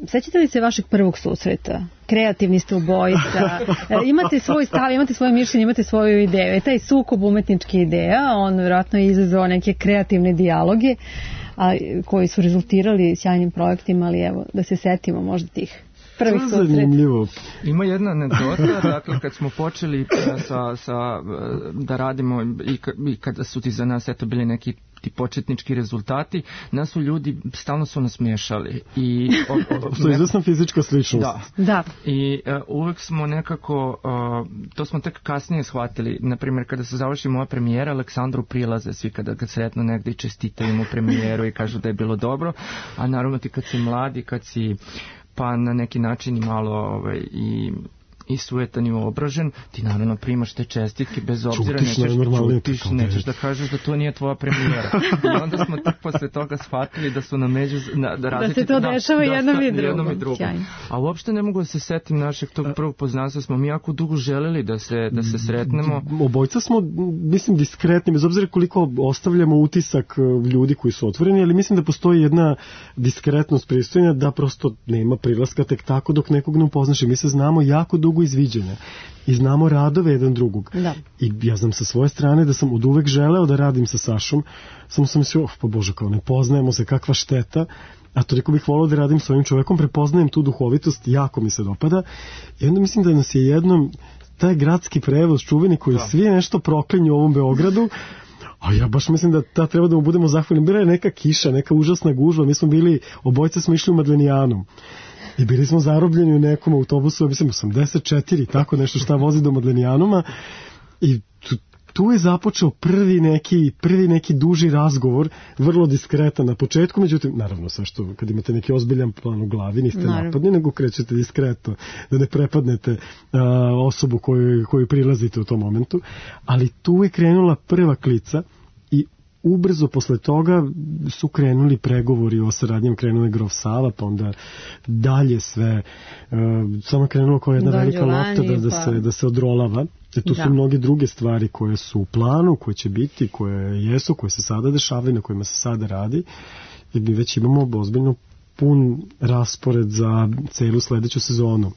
Sećate li se vašeg prvog susreta? kreativni ste obojica, imate svoj stav, imate svoje mišljenje, imate svoju ideju. Taj sukob umetničke ideja, on vjerojatno je izazvao neke kreativne dijaloge a, koji su rezultirali sjajnim projektima, ali evo, da se setimo možda tih prvih susreta. Ima jedna anegdota, dakle kad smo počeli sa, sa, da radimo i, i kada su ti za nas eto bili neki ti početnički rezultati, nas su ljudi stalno su nas miješali. I što je izvesna fizička sličnost. Da. da. I uh, uvek smo nekako, uh, to smo tek kasnije shvatili, na primjer kada se završi moja premijera, Aleksandru prilaze svi kada ga sretno negdje i čestitaju mu premijeru i kažu da je bilo dobro, a naravno ti kad si mladi, kad si pa na neki način i malo ovaj, i i sujetan i obražen, ti naravno primaš te čestitke bez obzira, čutiš, nećeš, čutiš, nećeš da kažeš da to nije tvoja premijera. I onda smo tek posle toga shvatili da su na među na, da, da se to dešava da, jednom, da, i drugom. jednom i drugom. A uopšte ne mogu da se setim našeg tog prvog poznanstva, smo mi jako dugo želeli da se, da se sretnemo. Obojca smo, mislim, diskretni, bez obzira koliko ostavljamo utisak ljudi koji su otvoreni, ali mislim da postoji jedna diskretnost pristojna da prosto nema prilaska tek tako dok nekog ne upoznaš i mi se znamo jako dugo izviđenja i znamo radove jedan drugog. Da. I ja znam sa svoje strane da sam od uvek želeo da radim sa Sašom, samo sam mislio, oh, pa Bože, kao ne poznajemo se, kakva šteta, a toliko bih volao da radim s ovim čovekom, prepoznajem tu duhovitost, jako mi se dopada i onda mislim da nas je jednom taj gradski prevoz čuveni koji da. Svi nešto proklinju u ovom Beogradu, a ja baš mislim da ta treba da mu budemo zahvalni. Bila je neka kiša, neka užasna gužva, mi smo bili, obojca smo išli u Madlenijanom. I bili smo zarobljeni u nekom autobusu, mislim, osamdeset četiri, tako nešto šta vozi do Madlenijanuma. I tu, tu je započeo prvi neki, prvi neki duži razgovor, vrlo diskretan na početku, međutim, naravno, sve što, kad imate neki ozbiljan plan u glavi, niste naravno. Napadni, nego krećete diskretno, da ne prepadnete a, osobu koju, koju prilazite u tom momentu. Ali tu je krenula prva klica i ubrzo posle toga su krenuli pregovori o saradnjem, krenule Grof Sava, pa onda dalje sve, uh, samo krenulo kao jedna Don velika Giovanni, lopta da, da, pa... se, da se odrolava. E tu da. Su mnoge druge stvari koje su u planu, koje će biti, koje jesu, koje se sada dešavaju, na kojima se sada radi. I mi već imamo ozbiljno pun raspored za celu sledeću sezonu.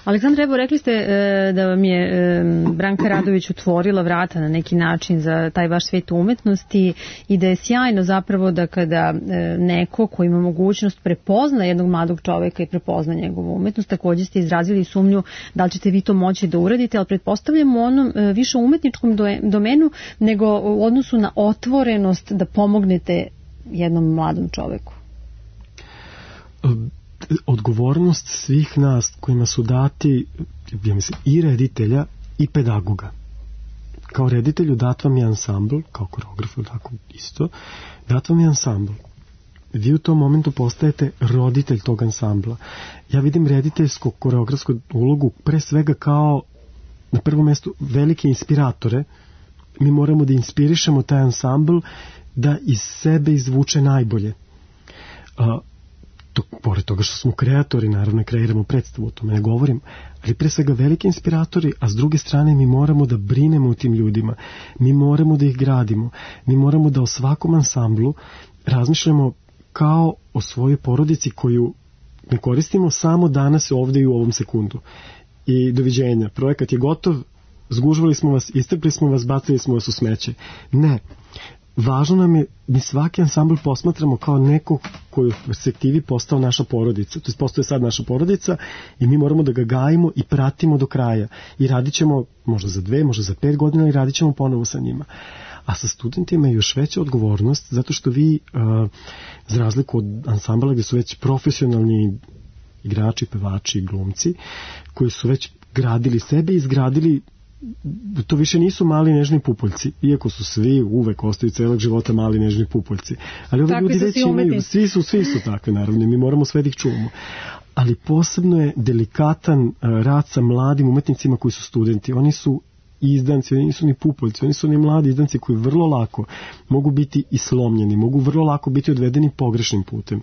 Aleksandra, evo rekli ste e, da vam je e, Branka Radović otvorila vrata na neki način za taj vaš svijet umetnosti i da je sjajno zapravo da kada e, neko ko ima mogućnost prepozna jednog mladog čoveka i prepozna njegovu umetnost, također ste izrazili sumnju da li ćete vi to moći da uradite, ali pretpostavljamo u onom e, više umetničkom do, domenu nego u odnosu na otvorenost da pomognete jednom mladom čoveku. Um. Odgovornost svih nas kojima su dati, ja mislim, i reditelja i pedagoga. Kao reditelju dat vam je ansambl, kao koreografu, tako isto, dat vam je ansambl. Vi u tom momentu postajete roditelj tog ansambla. Ja vidim rediteljsku koreografsku ulogu pre svega kao na prvom mjestu velike inspiratore. Mi moramo da inspirišemo taj ansambl da iz sebe izvuče najbolje. A, To, pored toga što smo kreatori, naravno kreiramo predstavu, o tome ne govorim, ali pre svega veliki inspiratori, a s druge strane mi moramo da brinemo o tim ljudima, mi moramo da ih gradimo, mi moramo da o svakom ansamblu razmišljamo kao o svojoj porodici koju ne koristimo samo danas ovde i u ovom sekundu. I doviđenja, projekat je gotov, zgužvali smo vas, istrpli smo vas, bacili smo vas u smeće. Ne. Važno nam je, mi svaki ansambl posmatramo kao neko koji u perspektivi postao naša porodica, to je postoje sad naša porodica i mi moramo da ga gajimo i pratimo do kraja i radit ćemo možda za dve, možda za pet godina i radit ćemo ponovo sa njima. A sa studentima je još veća odgovornost zato što vi, uh, za razliku od ansambla gdje su već profesionalni igrači, pevači, glumci, koji su već gradili sebe i izgradili, to više nisu mali nežni pupoljci, iako su svi uvek ostaju celog života mali nežni pupoljci. Ali ovi ljudi već imaju, svi su, svi su takve naravno, mi moramo sve da ih čuvamo. Ali posebno je delikatan rad sa mladim umetnicima koji su studenti. Oni su izdanci, oni nisu ni pupoljci, oni su ni mladi izdanci koji vrlo lako mogu biti i slomljeni, mogu vrlo lako biti odvedeni pogrešnim putem.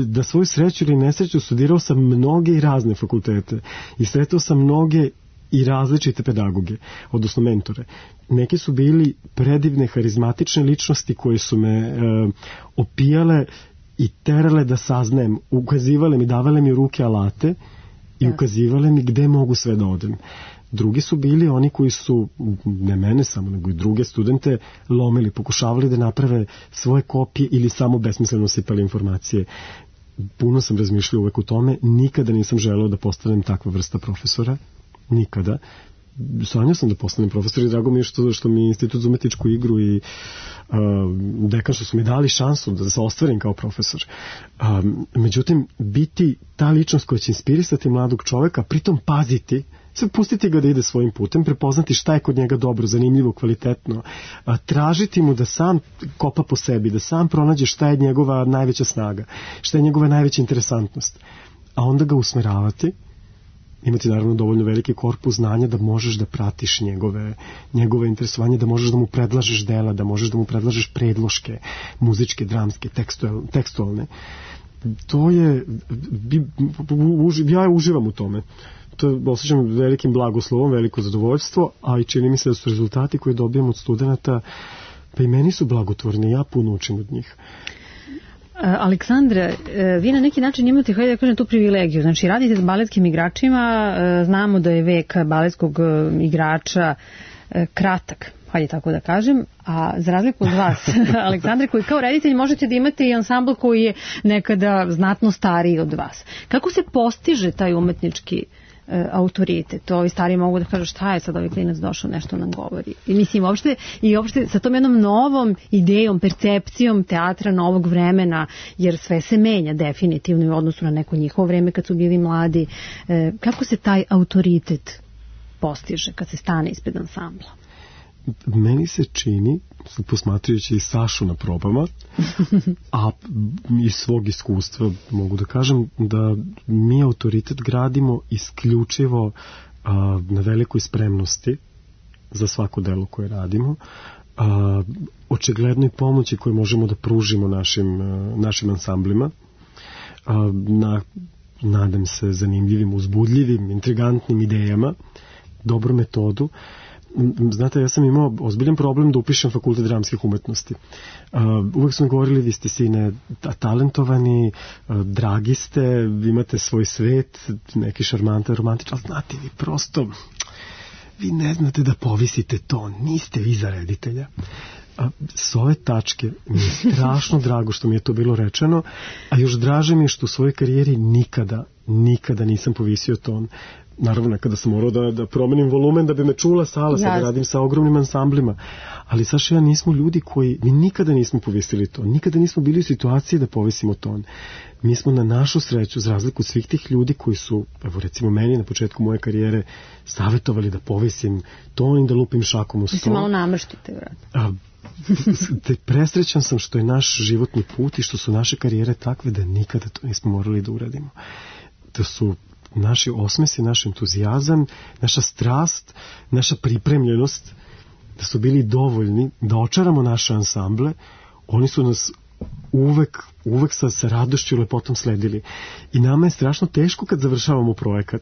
Da svoju sreću ili nesreću studirao sam mnoge i razne fakultete i sretao sam mnoge i različite pedagoge, odnosno mentore. Neki su bili predivne, harizmatične ličnosti koje su me e, opijale i terale da saznajem, ukazivale mi, davale mi u ruke alate i ukazivale mi gde mogu sve da odem. Drugi su bili oni koji su, ne mene samo, nego i druge studente, lomili, pokušavali da naprave svoje kopije ili samo besmisleno sipali informacije. Puno sam razmišljao uvek u tome, nikada nisam želeo da postanem takva vrsta profesora, nikada. Sanjao sam da postanem profesor i drago mi je što, što mi je Institut za umetničku igru i uh, dekan što su mi dali šansu da se ostvarim kao profesor. Um, međutim, biti ta ličnost koja će inspirisati mladog čoveka, pritom paziti, sad pustiti ga da ide svojim putem, prepoznati šta je kod njega dobro, zanimljivo, kvalitetno, a, tražiti mu da sam kopa po sebi, da sam pronađe šta je njegova najveća snaga, šta je njegova najveća interesantnost, a onda ga usmeravati, imati naravno dovoljno veliki korpus znanja da možeš da pratiš njegove, njegove interesovanje, da možeš da mu predlažeš dela, da možeš da mu predlažeš predloške, muzičke, dramske, tekstualne. To je, ja uživam u tome. To osjećam velikim blagoslovom, veliko zadovoljstvo, a i čini mi se da su rezultati koje dobijam od studenta, pa i meni su blagotvorni, ja puno učim od njih. Aleksandra, vi na neki način imate, hajde da kažem, tu privilegiju. Znači, radite s baletskim igračima, znamo da je vek baletskog igrača kratak, hajde tako da kažem, a za razliku od vas, Aleksandre, koji kao reditelj možete da imate i ansambl koji je nekada znatno stariji od vas. Kako se postiže taj umetnički autoritet? To ovi stari mogu da kažu šta je sad ovaj klinac došao, nešto nam govori. I mislim, uopšte, i uopšte sa tom jednom novom idejom, percepcijom teatra novog vremena, jer sve se menja definitivno u odnosu na neko njihovo vreme kad su bili mladi. Kako se taj autoritet postiže kad se stane ispred ansambla? Meni se čini, posmatrajući i Sašu na probama, a iz svog iskustva mogu da kažem da mi autoritet gradimo isključivo a, na velikoj spremnosti za svako delo koje radimo, a, očiglednoj pomoći koju možemo da pružimo našim, a, našim ansamblima, a, na, nadam se, zanimljivim, uzbudljivim, intrigantnim idejama, dobru metodu. Znate, ja sam imao ozbiljan problem da upišem fakultet dramskih umetnosti. Uh, uvek smo govorili, vi ste sine talentovani, uh, dragi ste, vi imate svoj svet, neki šarmantan, romantičan, ali znate, vi prosto, vi ne znate da povisite ton, niste vi za reditelja. A s ove tačke mi je strašno drago što mi je to bilo rečeno, a još draže mi je što u svojoj karijeri nikada, nikada nisam povisio ton. Naravno, nekada sam morao da, da promenim volumen da bi me čula sala, sad radim sa ogromnim ansamblima, ali Saša, ja nismo ljudi koji, mi nikada nismo povisili ton, nikada nismo bili u situaciji da povisimo ton. Mi smo na našu sreću, za razliku od svih tih ljudi koji su, evo recimo meni na početku moje karijere, savjetovali da povisim ton i da lupim šakom u sto. Mislim, malo namrštite, vratno. Te presrećan sam što je naš životni put i što su naše karijere takve da nikada to nismo morali da uradimo. Da su naši osmesi, naš entuzijazam, naša strast, naša pripremljenost, da su bili dovoljni da očaramo naše ansamble, oni su nas uvek, uvek sa, sa radošću i lepotom sledili. I nama je strašno teško kad završavamo projekat,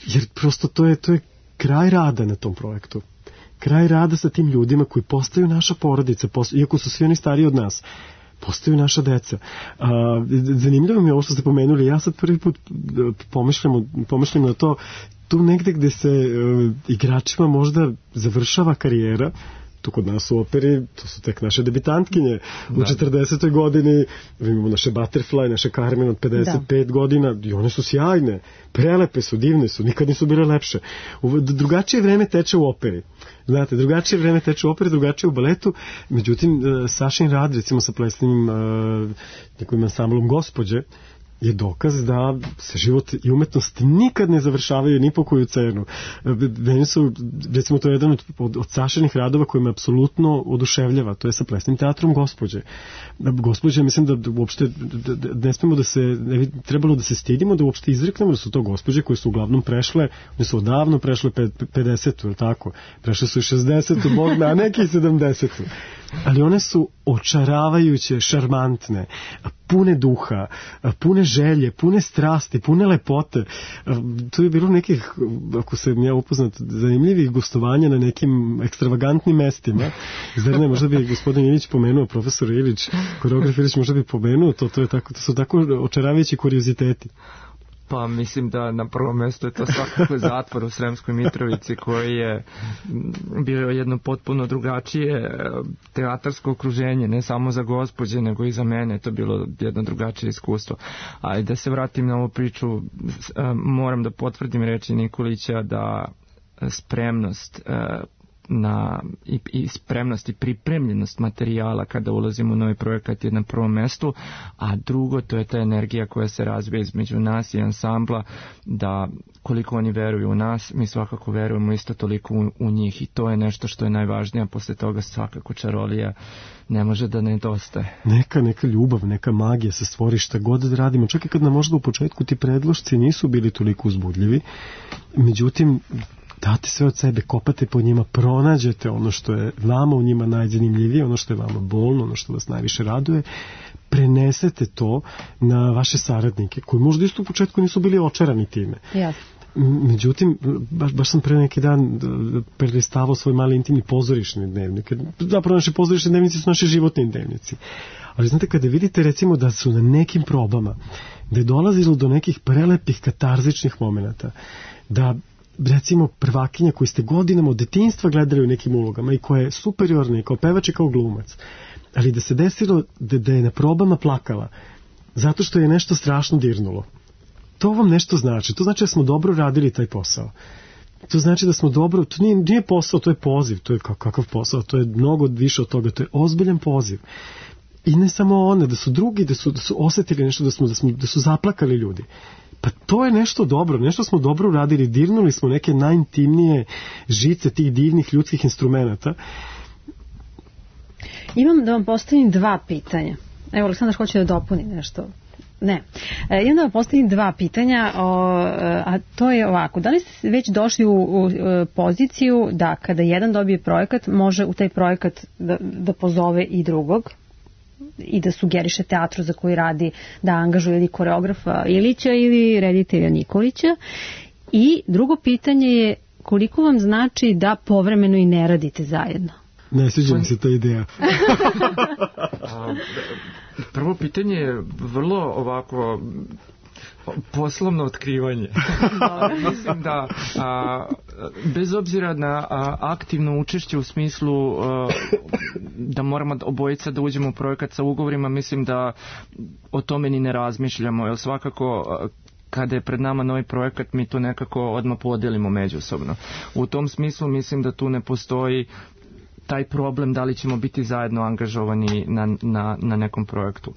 jer prosto to je, to je kraj rada na tom projektu. Kraj rada sa tim ljudima koji postaju naša porodica, postaju, iako su svi oni stariji od nas, postaju naša deca. A, zanimljivo mi je ovo što ste pomenuli, ja sad prvi put pomišljam, pomišljam na to, tu negde gde se uh, igračima možda završava karijera, tu kod nas u operi, to su tek naše debitantkinje. Da. U četrdesetoj godini imamo naše Butterfly, naše Carmen od pedeset pet da. godina i one su sjajne, prelepe su, divne su, nikad nisu bile lepše. U, drugačije vreme teče u operi. Znate, drugačije vreme teče u operi, drugačije u baletu, međutim, Sašin rad, recimo sa plesnim uh, nekim ansamblom Gospođe, je dokaz da se život i umetnost nikad ne završavaju ni po koju cenu. Meni su, recimo, to je jedan od, od, od Sašinih radova koji me apsolutno oduševljava, to je sa plesnim teatrom Gospođe. Gospođe, mislim da uopšte da, da ne smemo da se, ne bi trebalo da se stidimo, da uopšte izreknemo da su to gospođe koje su uglavnom prešle, one su odavno prešle pedesetu, ili tako? Prešle su i šezdesetu, Bog me, a neki i sedamdesetu. Ali one su očaravajuće, šarmantne, pune duha, pune želje, pune strasti, pune lepote. Tu je bilo nekih, ako se ja upoznat, zanimljivih gostovanja na nekim ekstravagantnim mestima. Zar ne, možda bi gospodin Ilić pomenuo, profesor Ilić, koreograf Ilić možda bi pomenuo, to, to, je tako, to su tako očaravajući kurioziteti. Pa mislim da na prvom mjestu je to svakako zatvor u Sremskoj Mitrovici koji je bio jedno potpuno drugačije teatarsko okruženje, ne samo za gospođe nego i za mene, to je bilo jedno drugačije iskustvo. A da se vratim na ovu priču, moram da potvrdim reči Nikolića da spremnost na i, i spremnost i pripremljenost materijala kada ulazimo u novi projekat je na prvom mestu, a drugo to je ta energija koja se razvija između nas i ansambla, da koliko oni veruju u nas, mi svakako verujemo isto toliko u, u njih i to je nešto što je najvažnije, a posle toga svakako čarolija ne može da nedostaje. Neka, neka ljubav, neka magija se stvori šta god da radimo, čak i kad nam možda u početku ti predlošci nisu bili toliko uzbudljivi, međutim date sve od sebe, kopate po njima, pronađete ono što je vama u njima najzanimljivije, ono što je vama bolno, ono što vas najviše raduje, prenesete to na vaše saradnike, koji možda isto u početku nisu bili očarani time. Jasno. Međutim, baš, baš sam pre neki dan prelistavao svoj mali intimni pozorišni dnevnik. Zapravo naše pozorišne dnevnici su naši životni dnevnici. Ali znate, kada vidite recimo da su na nekim probama, da je dolazilo do nekih prelepih katarzičnih momenata, da recimo prvakinja koju ste godinama od detinjstva gledali u nekim ulogama i koja je superiorna i kao pevač i kao glumac, ali da se desilo da, da je na probama plakala zato što je nešto strašno dirnulo. To vam nešto znači. To znači da smo dobro radili taj posao. To znači da smo dobro, to nije, nije posao, to je poziv, to je kakav posao, to je mnogo više od toga, to je ozbiljan poziv. I ne samo one, da su drugi, da su, da su osetili nešto, da, smo, da, smo, da su zaplakali ljudi. Pa to je nešto dobro, nešto smo dobro uradili, dirnuli smo neke najintimnije žice tih divnih ljudskih instrumenata. Imam da vam postavim dva pitanja. Evo, Aleksandar hoće da dopuni nešto. Ne. E, imam da vam postavim dva pitanja, o, a to je ovako. Da li ste već došli u, u, u poziciju da kada jedan dobije projekat, može u taj projekat da, da pozove i drugog? I da sugeriše teatru za koji radi da angažuje ili koreografa Ilića ili reditelja Nikolića. I drugo pitanje je koliko vam znači da povremeno i ne radite zajedno? Ne sviđa mi se ta ideja. Prvo pitanje je vrlo ovako poslovno otkrivanje. Mislim da a, bez obzira na a, aktivno učešće u smislu a, da moramo obojica da uđemo u projekat sa ugovorima, mislim da o tome ni ne razmišljamo, jer svakako a, kada je pred nama novi projekat mi to nekako odmah podelimo međusobno. U tom smislu mislim da tu ne postoji taj problem da li ćemo biti zajedno angažovani na, na, na nekom projektu.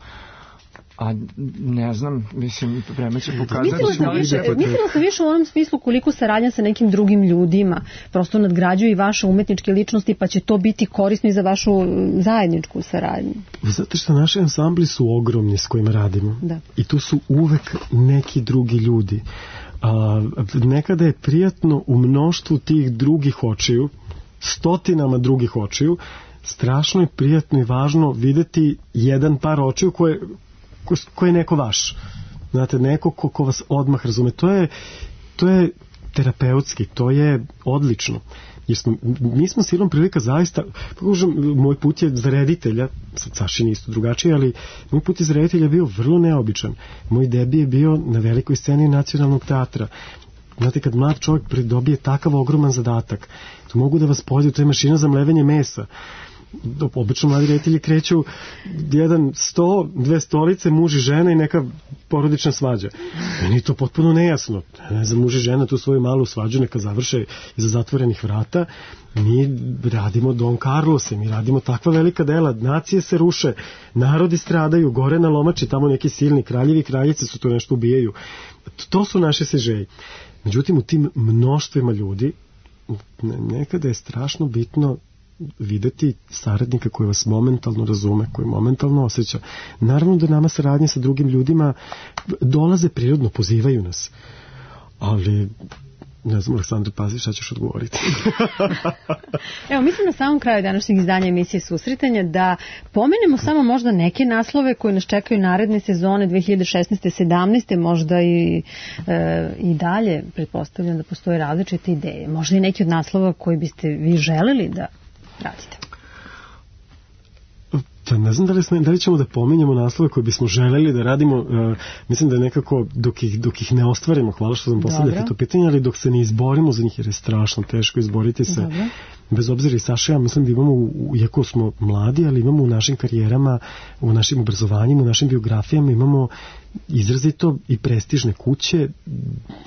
A ne znam, mislim, vreme će pokazati. Mislila sam, više, mislila sam više u onom smislu koliko saradnja sa nekim drugim ljudima prosto nadgrađuje i vaše umetničke ličnosti, pa će to biti korisno i za vašu zajedničku saradnju. Zato što naši ansambli su ogromni s kojima radimo. Da. I tu su uvek neki drugi ljudi. A, nekada je prijatno u mnoštvu tih drugih očiju, stotinama drugih očiju, strašno je prijatno i važno videti jedan par očiju koje ko, ko je neko vaš. Znate, neko ko, ko vas odmah razume. To je, to je terapeutski, to je odlično. Jer smo, mi smo silom prilika zaista, pokužem, moj put je za reditelja, sad Sašin isto drugačiji, ali moj put je za reditelja bio vrlo neobičan. Moj debi je bio na velikoj sceni Nacionalnog teatra. Znate, kad mlad čovjek pridobije takav ogroman zadatak, to mogu da vas pozivu, to je mašina za mlevenje mesa. Obično mladi reditelji kreću jedan sto, dve stolice, muž i žena i neka porodična svađa. Meni je to potpuno nejasno. Ne znam, muž i žena tu svoju malu svađu neka završe iza zatvorenih vrata. Mi radimo Don Carlose, mi radimo takva velika dela, nacije se ruše, narodi stradaju, gore na lomači, tamo neki silni kraljevi i kraljice su to nešto ubijaju. To su naše sežeji. Međutim, u tim mnoštvima ljudi nekada je strašno bitno videti saradnika koji vas momentalno razume, koji momentalno osjeća. Naravno da nama saradnje sa drugim ljudima dolaze prirodno, pozivaju nas. Ali ne znam, Aleksandar, pazi šta ćeš odgovoriti. Evo, mislim na samom kraju današnjeg izdanja emisije Susretanja da pomenemo samo možda neke naslove koji nas čekaju naredne sezone dve hiljade šesnaeste sedamnaeste možda i, e, i dalje. Pretpostavljam da postoje različite ideje. Možda i neki od naslova koji biste vi želeli da radite. Da, ne znam da li, smo, da li ćemo da pominjamo naslove koje bismo želeli da radimo, uh, mislim da je nekako dok ih, dok ih ne ostvarimo, hvala što sam postavljati to pitanje, ali dok se ne izborimo za njih jer je strašno teško izboriti se. Dobro. Bez obzira i Saša, ja mislim da imamo, iako smo mladi, ali imamo u našim karijerama, u našim obrazovanjima, u našim biografijama, imamo izrazito i prestižne kuće.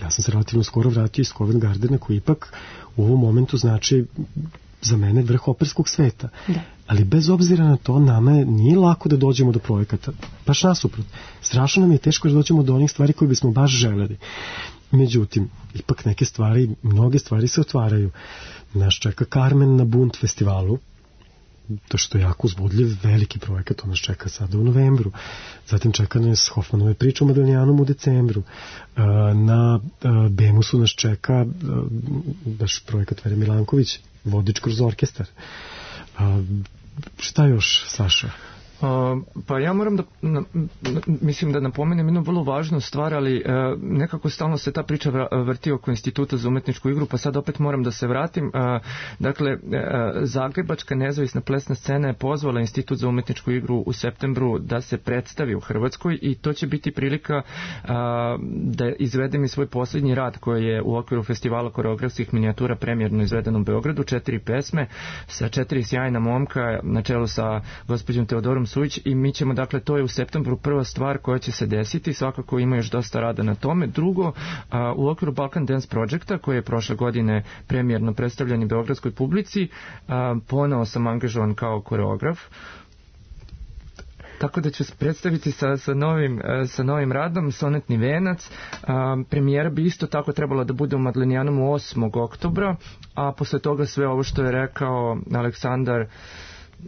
Ja sam se relativno skoro vratio iz Covent Gardena, koji ipak u ovom momentu znači za mene vrh operskog sveta. Da. Ali bez obzira na to, nama nije lako da dođemo do projekata. Baš nasuprot. Strašno nam je teško da dođemo do onih stvari koje bismo baš želeli. Međutim, ipak neke stvari, mnoge stvari se otvaraju. Nas čeka Carmen na Bund festivalu, to što je jako uzbudljiv, veliki projekat, on nas čeka sada u novembru. Zatim čeka nas Hoffmanove priče o Madelijanom u decembru. Na Bemusu nas čeka baš projekat Vere Milanković, Vodič kroz orkestar. Šta još, Saša? Uh, pa ja moram da na, na, mislim da napomenem jednu vrlo važnu stvar, ali uh, nekako stalno se ta priča vrti oko Instituta za umetničku igru, pa sad opet moram da se vratim. Uh, dakle, uh, Zagrebačka nezavisna plesna scena je pozvala Institut za umetničku igru u septembru da se predstavi u Hrvatskoj i to će biti prilika uh, da izvedem i svoj posljednji rad koji je u okviru festivala koreografskih minijatura premijerno izveden u Beogradu, četiri pesme sa četiri sjajna momka na čelu sa gospođom Teodorom Sujić i mi ćemo, dakle, to je u septembru prva stvar koja će se desiti, svakako ima još dosta rada na tome. Drugo, a, u okviru Balkan Dance Projecta, koji je prošle godine premijerno predstavljen i beogradskoj publici, a, ponovo sam angažovan kao koreograf, tako da ću predstaviti sa, sa, novim, sa novim radom Sonetni venac. A, premijera bi isto tako trebala da bude u Madlenijanom osmog oktobra, a posle toga sve ovo što je rekao Aleksandar,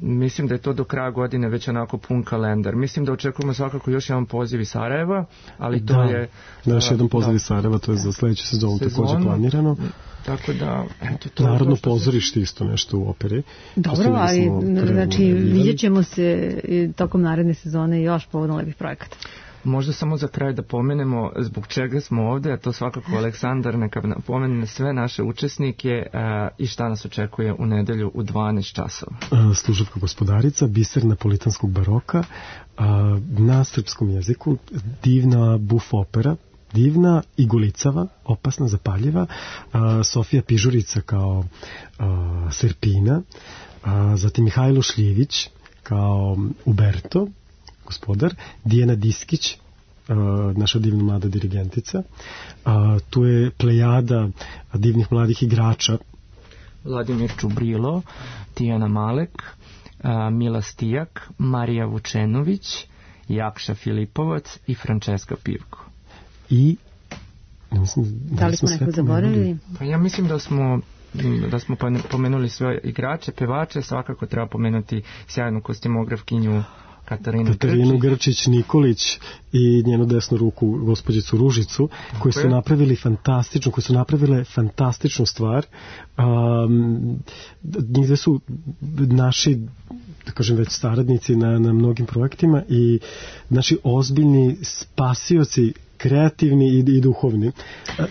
mislim da je to do kraja godine već onako pun kalendar. Mislim da očekujemo svakako još jedan poziv iz Sarajeva, ali to da, je... Da, još jedan poziv iz Sarajeva, to je za sledeću sezonu također planirano. Tako da... Eto, to Narodno pozorište isto nešto u operi. Dobro, ali znači vidjet ćemo se tokom naredne sezone još povodom lepih projekata. Možda samo za kraj da pomenemo zbog čega smo ovde, a to svakako Aleksandar neka pomene sve naše učesnike a, i šta nas očekuje u nedelju u dvanaest časova. Služavka gospodarica, biser napolitanskog baroka, a, na srpskom jeziku, divna buf opera, divna i gulicava, opasna, zapaljiva, a, Sofija Pižurica kao a, Serpina, a, zatim Mihajlo Šljivić kao Uberto, gospodar, Dijana Diskić, naša divna mlada dirigentica. Tu je plejada divnih mladih igrača. Vladimir Čubrilo, Tijana Malek, Mila Stijak, Marija Vučenović, Jakša Filipovac i Frančeska Pivko. I mislim, da, da li smo neko zaboravili? Pa ja mislim da smo da smo pomenuli sve igrače, pevače, svakako treba pomenuti sjajnu kostimografkinju Katarinu, Katarinu Grčić Nikolić i njenu desnu ruku gospođicu Ružicu, koji su napravili fantastično, koji su napravile fantastičnu stvar. Um, njih su naši, da kažem, već saradnici na, na mnogim projektima i naši ozbiljni spasioci, kreativni i, i duhovni.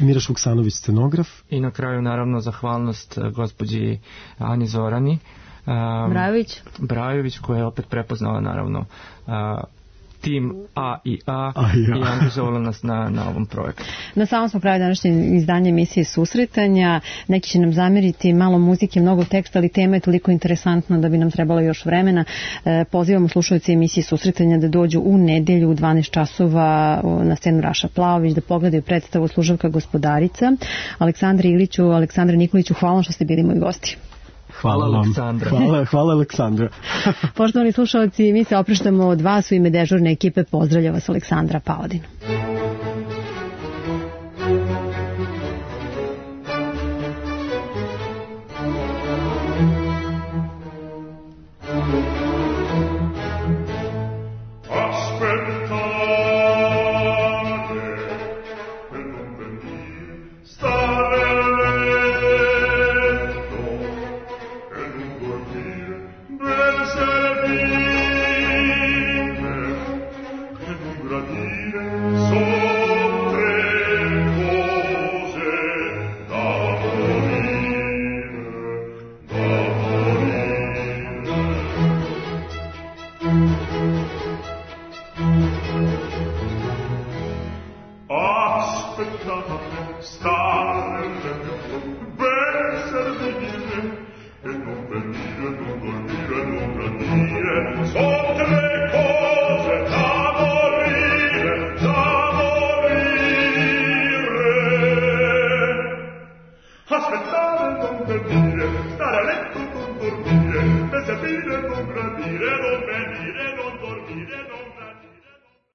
Miraš Vuksanović, scenograf. I na kraju, naravno, zahvalnost gospođi Ani Zorani Um, Brajović. Brajović koja je opet prepoznala naravno uh, tim A i A, A i, A. i angažovala nas na, na ovom projektu. Na samom smo pravi današnje izdanje emisije Susretanja. Neki će nam zameriti malo muzike, mnogo teksta, ali tema je toliko interesantna da bi nam trebalo još vremena. E, pozivamo slušalce emisije Susretanja da dođu u nedelju u dvanaest časova na scenu Raša Plaović, da pogledaju predstavu Služavka gospodarica. Aleksandra Iliću, Aleksandra Nikoliću, hvala što ste bili moji gosti. Hvala, hvala Aleksandra. Hvala, hvala Aleksandra. Poštovani slušalci, mi se opraštamo od vas u ime dežurne ekipe. Pozdravlja vas Aleksandra Paladin. So stare benessere di dire e non per dire, non dormire, non gradire, sotto le cose